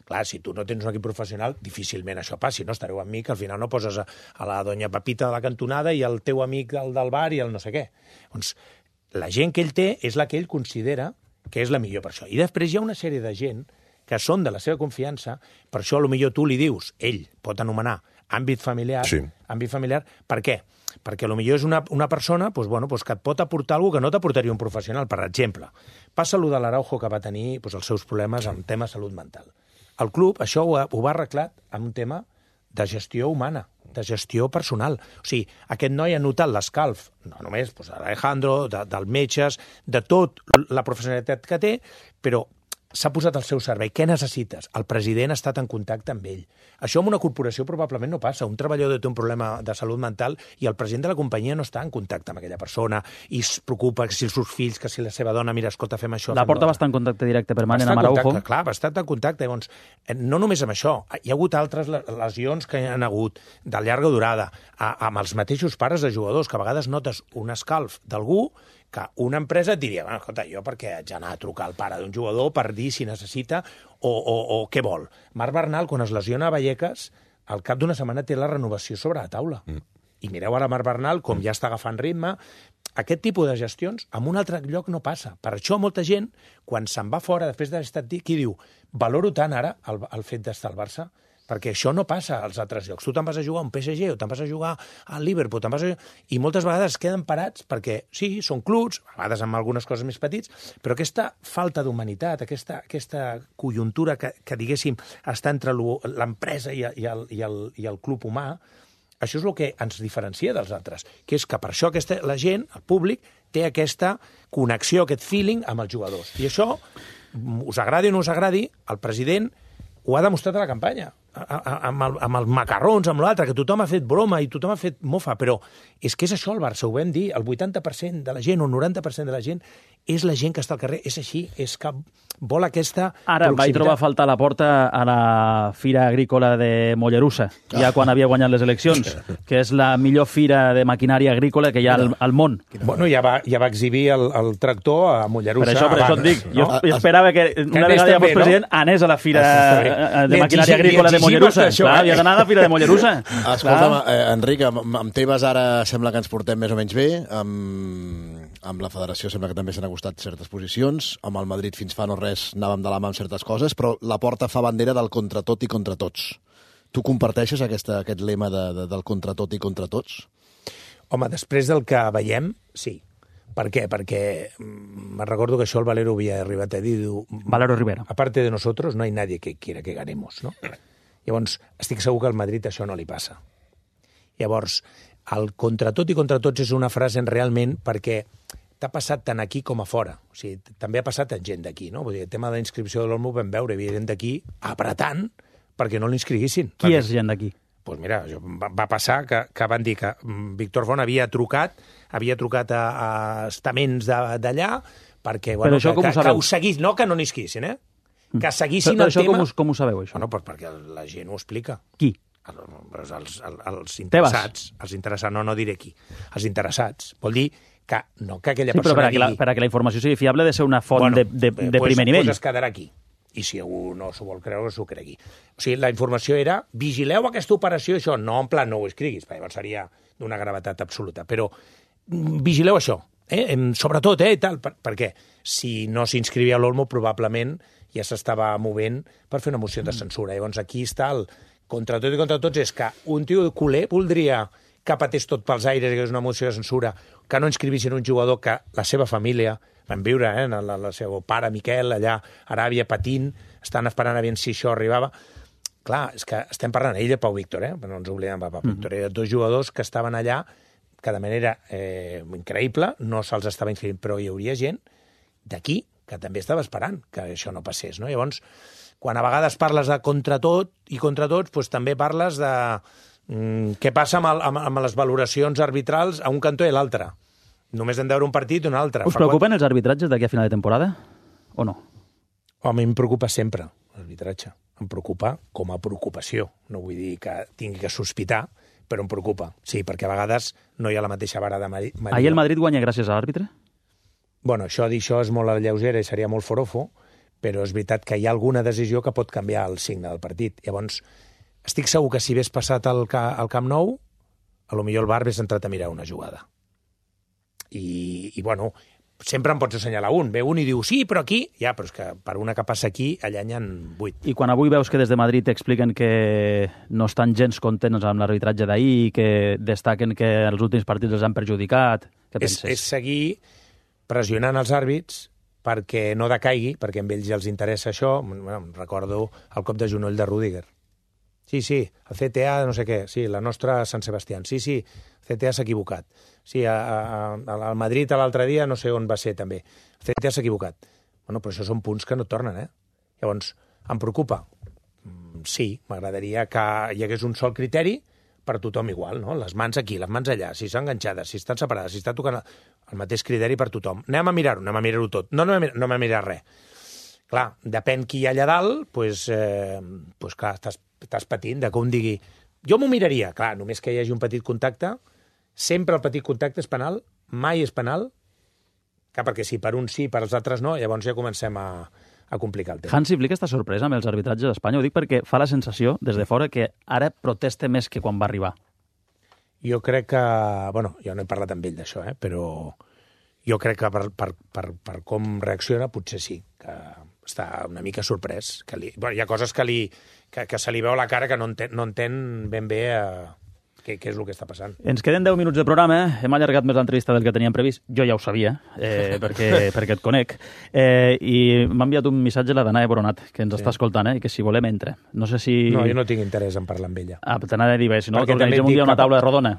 Clar, si tu no tens un equip professional, difícilment això passi, no? Estareu amb mi, que al final no poses a, a la doña Pepita de la cantonada i el teu amic del, del bar i el no sé què. Doncs la gent que ell té és la que ell considera que és la millor per això. I després hi ha una sèrie de gent que són de la seva confiança, per això potser tu li dius, ell pot anomenar àmbit familiar, sí. àmbit familiar, per què? Perquè potser és una, una persona doncs, bueno, doncs, que et pot aportar alguna cosa que no t'aportaria un professional, per exemple. Passa allò de l'Araujo que va tenir doncs, els seus problemes amb tema salut mental. El club això ho, ha, ho va arreglat amb un tema de gestió humana, de gestió personal. O sigui, aquest noi ha notat l'escalf, no només doncs, d'Alejandro, de, dels metges, de tot la professionalitat que té, però s'ha posat al seu servei. Què necessites? El president ha estat en contacte amb ell. Això en una corporació probablement no passa. Un treballador té un problema de salut mental i el president de la companyia no està en contacte amb aquella persona i es preocupa que si els seus fills, que si la seva dona, mira, escolta, fem això... La Porta va estar en contacte directe permanent amb Araujo. Clar, va estar en contacte. Llavors, no només amb això, hi ha hagut altres lesions que hi ha hagut de llarga durada, amb els mateixos pares de jugadors, que a vegades notes un escalf d'algú que una empresa et diria, bueno, escolta, jo perquè haig d'anar a trucar al pare d'un jugador per dir si necessita o, o, o què vol. Marc Bernal, quan es lesiona a Vallecas, al cap d'una setmana té la renovació sobre la taula. Mm. I mireu ara Marc Bernal, com ja està agafant ritme. Aquest tipus de gestions en un altre lloc no passa. Per això molta gent, quan se'n va fora després d'haver estat dit, qui diu, valoro tant ara el, el fet d'estar al Barça, perquè això no passa als altres llocs. Tu te'n vas a jugar a un P S G o te'n vas a jugar al Liverpool, te'n vas a... i moltes vegades es queden parats perquè, sí, són clubs, a vegades amb algunes coses més petits, però aquesta falta d'humanitat, aquesta, aquesta conjuntura que, que diguéssim, està entre l'empresa i, i, el, i, el, i el club humà, això és el que ens diferencia dels altres, que és que per això aquesta, la gent, el públic, té aquesta connexió, aquest feeling amb els jugadors. I això, us agradi o no us agradi, el president ho ha demostrat a la campanya, amb, el, amb els macarrons, amb l'altre, que tothom ha fet broma i tothom ha fet mofa, però és que és això el Barça, ho vam dir, el vuitanta per cent de la gent o el noranta per cent de la gent és la gent que està al carrer, és així, és que vol aquesta Ara, proximitat. vaig trobar a faltar a la Porta a la Fira Agrícola de Mollerussa, ja quan havia guanyat les eleccions, que és la millor fira de maquinària agrícola que hi ha al, al món. Bueno, ja va, ja va exhibir el, el tractor a Mollerussa. Per això, per això et dic, jo no? esperava que una vegada ja fos president anés a la Fira de maquinària agrícola de Mollerussa. Clar, havia d'anar a la Fira de Mollerussa. Escolta'm, eh, Enric, amb, amb Tebas ara sembla que ens portem més o menys bé, amb, amb la federació sembla que també s'han acostat certes posicions, amb el Madrid fins fa no res anàvem de la mà amb certes coses, però la Porta fa bandera del contra tot i contra tots. Tu comparteixes aquesta, aquest lema de, de, del contra tot i contra tots? Home, després del que veiem, sí. Per què? Perquè me recordo que això el Valero havia arribat a dir... Valero Rivera. Aparte de nosotros, no hay nadie que quiera que ganemos, ¿no? Llavors, estic segur que al Madrid això no li passa. Llavors, el contra tot i contra tots és una frase realment perquè t'ha passat tant aquí com a fora. O sigui, també ha passat en gent d'aquí, no? Vull dir, el tema de la inscripció de l'Olmo vam veure, hi havia gent d'aquí apretant perquè no l'inscriguissin. Qui perquè... és gent d'aquí? Doncs pues mira, va, va passar que, que van dir que Víctor Font havia trucat, havia trucat a, a estaments d'allà perquè, bueno, això que, com que, que ho seguís, no que no n'isquissin, eh? Que seguissin però, però el això tema... Com, us, com ho sabeu, això? Bueno, pues perquè la gent ho explica. Qui? Els, els, els interessats, els interessats, no, no diré qui, els interessats. Vol dir que no que aquella sí, persona però per a, digui... la, per a que la informació sigui fiable ha de ser una font bueno, de, de, de pues, primer nivell. Doncs pues es quedarà aquí. I si algú no s'ho vol creure, s'ho cregui. O sigui, la informació era, vigileu aquesta operació, això, no en plan no ho escriguis, perquè llavors seria d'una gravetat absoluta, però vigileu això, eh? Sobretot, eh, i tal, per, perquè si no s'inscrivia a l'Olmo, probablement ja s'estava movent per fer una moció de censura. Llavors aquí està el contra tot i contra tots, és que un tio culer voldria que patés tot pels aires i que és una moció de censura, que no inscrivissin un jugador que la seva família van viure, eh, la, la seva pare Miquel allà a Aràbia patint, estan esperant a veure si això arribava. Clar, és que estem parlant ell de Pau Víctor, eh? Però no ens oblidem de Pau Víctor. Mm. Eren dos jugadors que estaven allà que de manera eh, increïble no se'ls estava inscrivint, però hi hauria gent d'aquí que també estava esperant que això no passés, no? Llavors, quan a vegades parles de contra tot i contra tots, doncs també parles de mm, què passa amb, el, amb, amb les valoracions arbitrals a un cantó i a l'altre. Només hem de veure un partit i un altre. Us preocupen els arbitratges d'aquí a final de temporada? O no? Home, em preocupa sempre l'arbitratge. Em preocupa com a preocupació. No vull dir que tingui que sospitar, però em preocupa. Sí, perquè a vegades no hi ha la mateixa vara de Maria. Ahir el Madrid guanya gràcies a l'àrbitre? Bueno, això dir això és molt a la lleugera i seria molt forofo, però és veritat que hi ha alguna decisió que pot canviar el signe del partit. Llavors, estic segur que si hagués passat al, al Camp Nou, a lo millor el Bar hagués entrat a mirar una jugada. I, i bueno, sempre em pots assenyalar un. Ve un i diu, sí, però aquí... Ja, però és que per una que passa aquí, allà n'hi ha vuit. I quan avui veus que des de Madrid expliquen que no estan gens contents amb l'arbitratge d'ahir, que destaquen que els últims partits els han perjudicat, què És, penses? és seguir pressionant els àrbits perquè no decaigui, perquè a ells els interessa això. Bueno, recordo el cop de genoll de Rüdiger. Sí, sí, el C T A no sé què, sí, la nostra Sant Sebastián. Sí, sí, el C T A s'ha equivocat. Sí, a, a, al Madrid l'altre dia no sé on va ser també. El C T A s'ha equivocat. Bueno, però això són punts que no tornen, eh? Llavors, em preocupa? Sí, m'agradaria que hi hagués un sol criteri per tothom igual, no? Les mans aquí, les mans allà, si estan enganxades, si estan separades, si està tocant el mateix criteri per tothom. Anem a mirar-ho, anem a mirar-ho tot. No, no, no anem a mirar res. Clar, depèn qui hi ha allà dalt, doncs, eh, doncs clar, estàs, estàs patint de com digui... Jo m'ho miraria, clar, només que hi hagi un petit contacte, sempre el petit contacte és penal, mai és penal, clar, perquè si per uns sí, per als altres no, llavors ja comencem a, a complicar el tema. Hansi Flick està sorprès amb els arbitratges d'Espanya? Ho dic perquè fa la sensació, des de fora, que ara protesta més que quan va arribar. Jo crec que... Bueno, jo no he parlat amb ell d'això, eh, però jo crec que per, per, per, per com reacciona potser sí, que està una mica sorprès. Que li, bueno, hi ha coses que, li, que, que se li veu a la cara que no entén, no entén ben bé eh, què, què és el que està passant. Ens queden deu minuts de programa, hem allargat més l'entrevista del que teníem previst. Jo ja ho sabia, eh, perquè, perquè et conec. Eh, I m'ha enviat un missatge la Danae Boronat, que ens sí. està escoltant, eh, i que si volem entra. No sé si... No, jo no tinc interès en parlar amb ella. Ah, t'anava a dir, bé, si no, que organitzem un dia una taula rodona.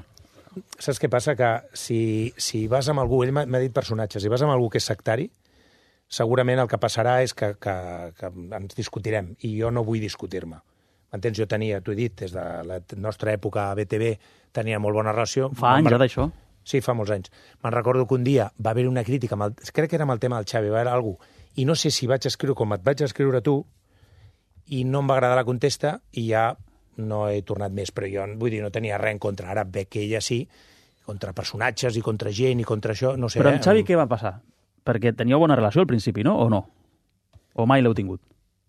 Saps què passa? Que si, si vas amb algú, ell m'ha dit personatges, si vas amb algú que és sectari, segurament el que passarà és que, que, que ens discutirem, i jo no vull discutir-me. M'entens? Jo tenia, t'ho he dit, des de la nostra època a B T V tenia molt bona relació. Fa anys ja d'això? Sí, fa molts anys. Me'n recordo que un dia va haver una crítica, amb el, crec que era amb el tema del Xavi, va haver algú, i no sé si vaig escriure com et vaig escriure tu, i no em va agradar la contesta, i ja no he tornat més, però jo vull dir, no tenia res en contra. Ara veig que ella sí, contra personatges i contra gent i contra això, no sé. Però amb eh? Xavi què va passar? Perquè teníeu bona relació al principi, no? O no? O mai l'heu tingut?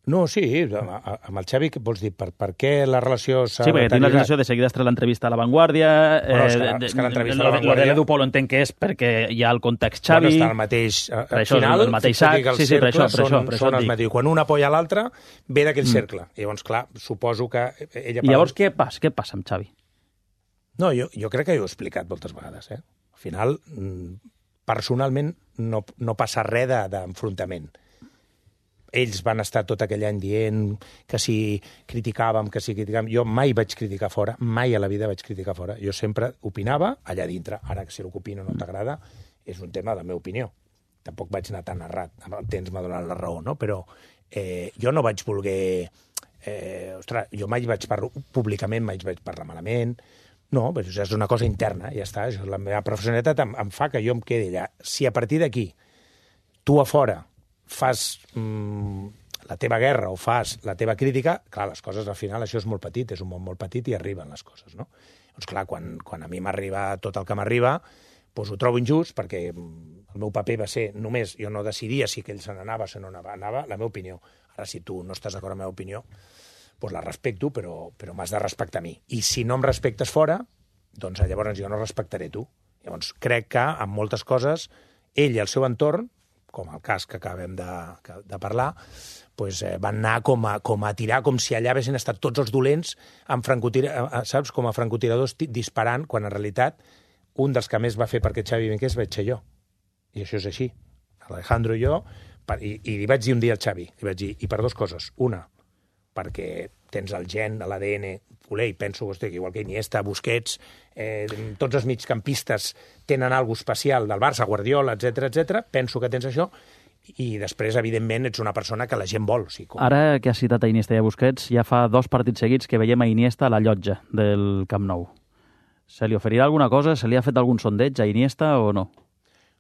No, sí, amb el Xavi, què vols dir? Per, per què la relació s'ha... Sí, perquè tinc la sensació de seguida estar l'entrevista a La Vanguardia... Bueno, és que, és que l'entrevista a La Vanguardia... L'Edu Polo entenc que és perquè hi ha el context Xavi... Bueno, està el mateix... Per això, final, el mateix sac... Sí, sí, per això, per això, per això et dic. Quan un apoya l'altre, ve d'aquell mm. cercle. I llavors, clar, suposo que ella... I llavors què passa? Què passa amb Xavi? No, jo, jo crec que jo ho he explicat moltes vegades, eh? Al final, personalment, no, no passa res d'enfrontament. Ells van estar tot aquell any dient que si criticàvem, que si criticàvem... Jo mai vaig criticar fora, mai a la vida vaig criticar fora. Jo sempre opinava allà dintre. Ara, que si el que opino no t'agrada, és un tema de la meva opinió. Tampoc vaig anar tan errat. Amb el temps m'ha donat la raó, no? Però eh, jo no vaig voler... Eh, ostres, jo mai vaig parlar... Públicament mai vaig parlar malament. No, però això és una cosa interna, ja està. La meva professionalitat em, em fa que jo em quedi allà. Si a partir d'aquí, tu a fora, fas mm, la teva guerra o fas la teva crítica, clar, les coses al final, això és molt petit, és un món molt petit i arriben les coses, no? Doncs clar, quan, quan a mi m'arriba tot el que m'arriba, doncs ho trobo injust, perquè el meu paper va ser només, jo no decidia si aquell se n'anava o se no anava, anava la meva opinió. Ara, si tu no estàs d'acord amb la meva opinió, doncs la respecto, però, però m'has de respectar a mi. I si no em respectes fora, doncs llavors jo no respectaré tu. Llavors crec que en moltes coses, ell i el seu entorn, com el cas que acabem de, de parlar, doncs, eh, van anar com a, com a tirar, com si allà haguessin estat tots els dolents, amb francotira, saps, com a francotiradors disparant, quan en realitat un dels que més va fer perquè Xavi vingués vaig ser jo. I això és així. Alejandro i jo, per, i, i li vaig dir un dia al Xavi, li vaig dir, i per dues coses. Una, perquè tens el gen, l'A D N, voler, i penso, hosti, que igual que Iniesta, Busquets, eh, tots els migcampistes tenen alguna especial del Barça, Guardiola, etcètera, etcètera. Penso que tens això, i després, evidentment, ets una persona que la gent vol. O sigui, com... Ara que has citat a Iniesta i a Busquets, ja fa dos partits seguits que veiem a Iniesta a la llotja del Camp Nou. Se li oferirà alguna cosa? Se li ha fet algun sondeig a Iniesta o no?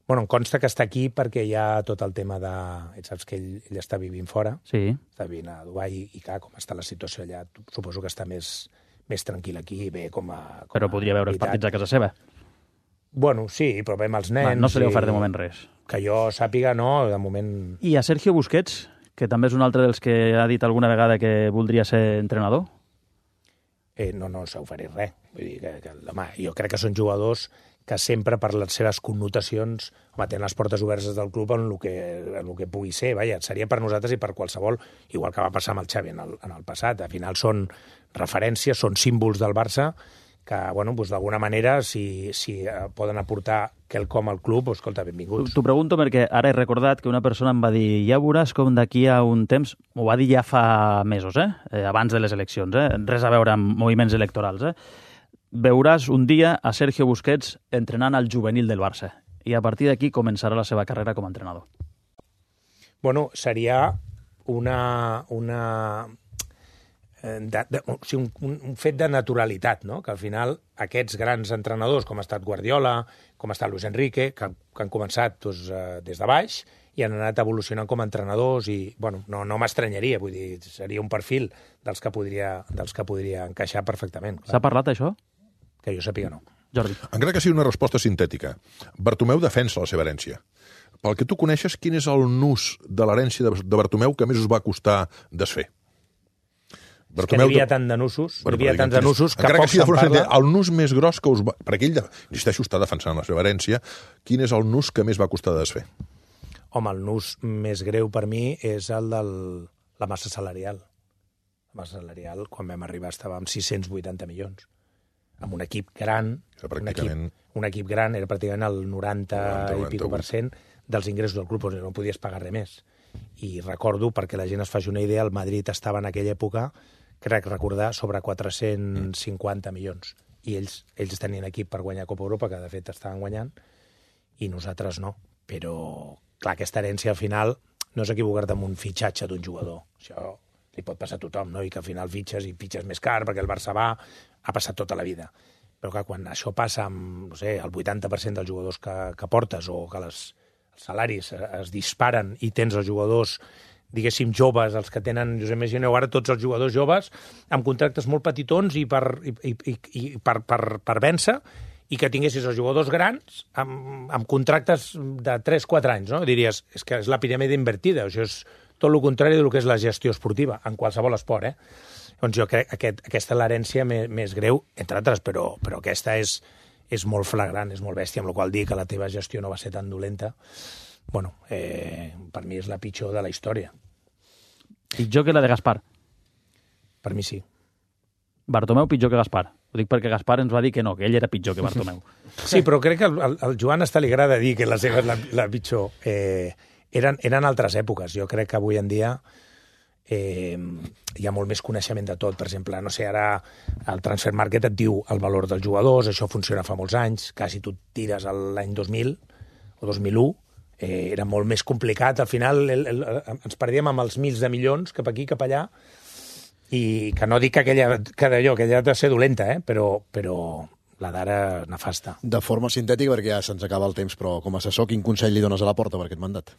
Bueno, em consta que està aquí perquè hi ha tot el tema de... Saps que ell, ell està vivint fora, sí. Està vivint a Dubai, i clar, com està la situació allà, suposo que està més, més tranquil aquí i bé com a... Com però podria veure els partits a casa seva. Bueno, sí, però veiem els nens... Va, no se li ha ofert de moment res. Que jo sàpiga, no, de moment... I a Sergio Busquets, que també és un altre dels que ha dit alguna vegada que voldria ser entrenador? Eh, no, no s'ha oferit res. Vull dir que, que, home, jo crec que són jugadors que sempre per les seves connotacions home, tenen les portes obertes del club en el que, en el que pugui ser. Vaja, seria per nosaltres i per qualsevol, igual que va passar amb el Xavi en el, en el passat. Al final són referències, són símbols del Barça que, bueno, doncs d'alguna manera, si, si poden aportar quelcom al club, doncs, escolta, benvinguts. T'ho pregunto perquè ara he recordat que una persona em va dir ja veuràs com d'aquí a un temps, m'ho va dir ja fa mesos, eh? eh? abans de les eleccions, eh? res a veure amb moviments electorals, eh? veuràs un dia a Sergio Busquets entrenant al juvenil del Barça i a partir d'aquí començarà la seva carrera com a entrenador. Bueno, seria una... una de, de, o sigui, un, un fet de naturalitat, no? Que al final aquests grans entrenadors, com ha estat Guardiola, com ha estat Luis Enrique, que, que han començat doncs, des de baix i han anat evolucionant com a entrenadors i, bueno, no, no m'estranyaria, vull dir, seria un perfil dels que podria, dels que podria encaixar perfectament. S'ha parlat, això? Que jo sàpiga, no. Jordi. Encara que sigui una resposta sintètica, Bartomeu defensa la seva herència. Pel que tu coneixes, quin és el nus de l'herència de, de Bartomeu que més us va costar desfer? Bartomeu, que n'hi havia tant de nusos, n'hi havia tants de nusos que encara poc que sigui se'n parla. El nus més gros que us va... Perquè ell, insisteixo, està defensant la seva herència. Quin és el nus que més va costar de desfer? Home, el nus més greu per mi és el de la massa salarial. La massa salarial, quan vam arribar, estava amb sis-cents vuitanta milions. Amb un equip gran, un, equip, un equip gran, era pràcticament el noranta, noranta i pico per cent dels ingressos del club, no podies pagar res més. I recordo, perquè la gent es faci una idea, el Madrid estava en aquella època, crec recordar, sobre quatre-cents cinquanta milions. I ells, ells tenien equip per guanyar Copa Europa, que de fet estaven guanyant, i nosaltres no. Però, clar, aquesta herència al final no és equivocar-te amb un fitxatge d'un jugador. Això li pot passar a tothom, no? I que al final fitxes i fitxes més car perquè el Barça va, ha passat tota la vida. Però que quan això passa amb, no sé, el vuitanta per cent dels jugadors que, que portes o que les, els salaris es disparen i tens els jugadors, diguéssim, joves, els que tenen, us imagineu ara tots els jugadors joves, amb contractes molt petitons i per, i, i, i per, per, per vèncer, i que tinguessis els jugadors grans amb, amb contractes de tres quatre anys, no? Diries, és que és la piràmide invertida, això és tot el contrari del que és la gestió esportiva, en qualsevol esport, eh? Doncs jo crec que aquest, aquesta és l'herència més, més greu, entre altres, però, però aquesta és, és molt flagrant, és molt bèstia, amb la qual dir que la teva gestió no va ser tan dolenta, bueno, eh, per mi és la pitjor de la història. Pitjor que la de Gaspar? Per mi sí. Bartomeu pitjor que Gaspar. Ho dic perquè Gaspar ens va dir que no, que ell era pitjor que Bartomeu. Sí, però crec que al, al Joan hasta li agrada dir que la seva és la, la pitjor. Eh, eren, eren altres èpoques. Jo crec que avui en dia eh, hi ha molt més coneixement de tot. Per exemple, no sé, ara el Transfer Market et diu el valor dels jugadors, això funciona fa molts anys, que si tu tires l'any dos mil o dos mil u, eh, era molt més complicat. Al final el, el, ens perdíem amb els mils de milions cap aquí, cap allà, i que no dic que aquella, que d'allò, que aquella ha de ser dolenta, eh? però, però la d'ara nefasta. De forma sintètica, perquè ja se'ns acaba el temps, però com a assessor, quin consell li dones a la porta per aquest mandat?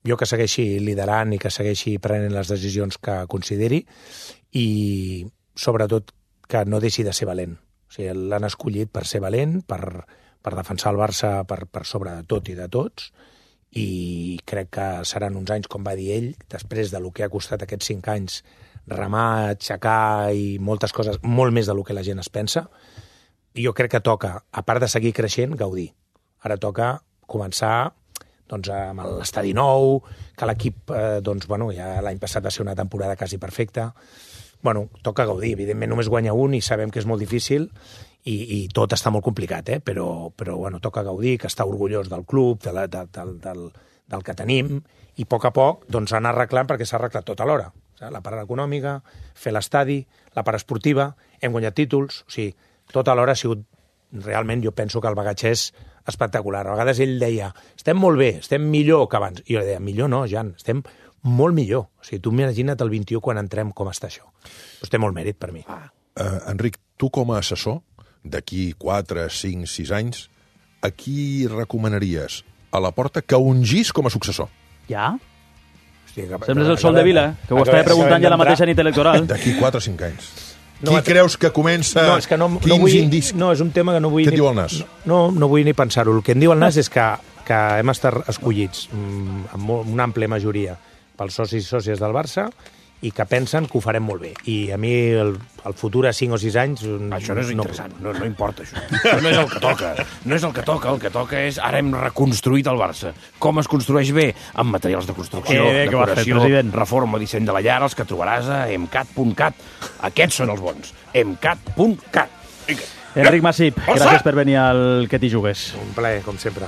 Jo que segueixi liderant i que segueixi prenent les decisions que consideri i, sobretot, que no deixi de ser valent. O sigui, l'han escollit per ser valent, per, per defensar el Barça per, per sobre de tot i de tots, i crec que seran uns anys, com va dir ell, després de lo que ha costat aquests cinc anys remar, aixecar i moltes coses, molt més del que la gent es pensa. I jo crec que toca, a part de seguir creixent, gaudir. Ara toca començar doncs, amb l'estadi nou, que l'equip, eh, doncs, bueno, ja l'any passat va ser una temporada quasi perfecta. Bueno, toca gaudir. Evidentment només guanya un i sabem que és molt difícil i, i tot està molt complicat, eh? però, però bueno, toca gaudir, que està orgullós del club, de la, de, del, del, del que tenim, i a poc a poc doncs, anar arreglant perquè s'ha arreglat tot alhora. La part econòmica, fer l'estadi, la part esportiva, hem guanyat títols, o sigui, tot alhora ha sigut, realment jo penso que el bagatge és espectacular. A vegades ell deia, estem molt bé, estem millor que abans. I jo deia, millor no, Jan, estem molt millor. O sigui, tu imagina't el vint-i-u quan entrem com està això. Doncs té molt mèrit per mi. Uh, Enric, tu com a assessor, d'aquí quatre, cinc, sis anys, a qui recomanaries a la porta que ungís com a successor? Ja? Hosti, que, Sembles el Sol de Vila, que ho estava preguntant ja la mateixa nit electoral. D'aquí quatre o cinc anys. No, qui creus que comença? No, és que no, Quins no vull, indicis? No, és un tema que no vull... Què et ni, diu el Nas? No, no vull ni pensar-ho. El que em diu el Nas és que, que hem estat escollits amb una àmplia majoria pels socis i sòcies del Barça i que pensen que ho farem molt bé. I a mi el, el futur a cinc o sis anys... Això no és interessant, no, no importa això. Això no és el que toca. No és el que toca, el que toca és ara hem reconstruït el Barça. Com es construeix bé? Amb materials de construcció, Eh, que va fer, decoració, president. reforma, disseny de la llar, els que trobaràs a emcat punt cat. Aquests són els bons. emcat punt cat. Enric Masip, gràcies per venir al Que t'hi jugues. Un plaer, com sempre.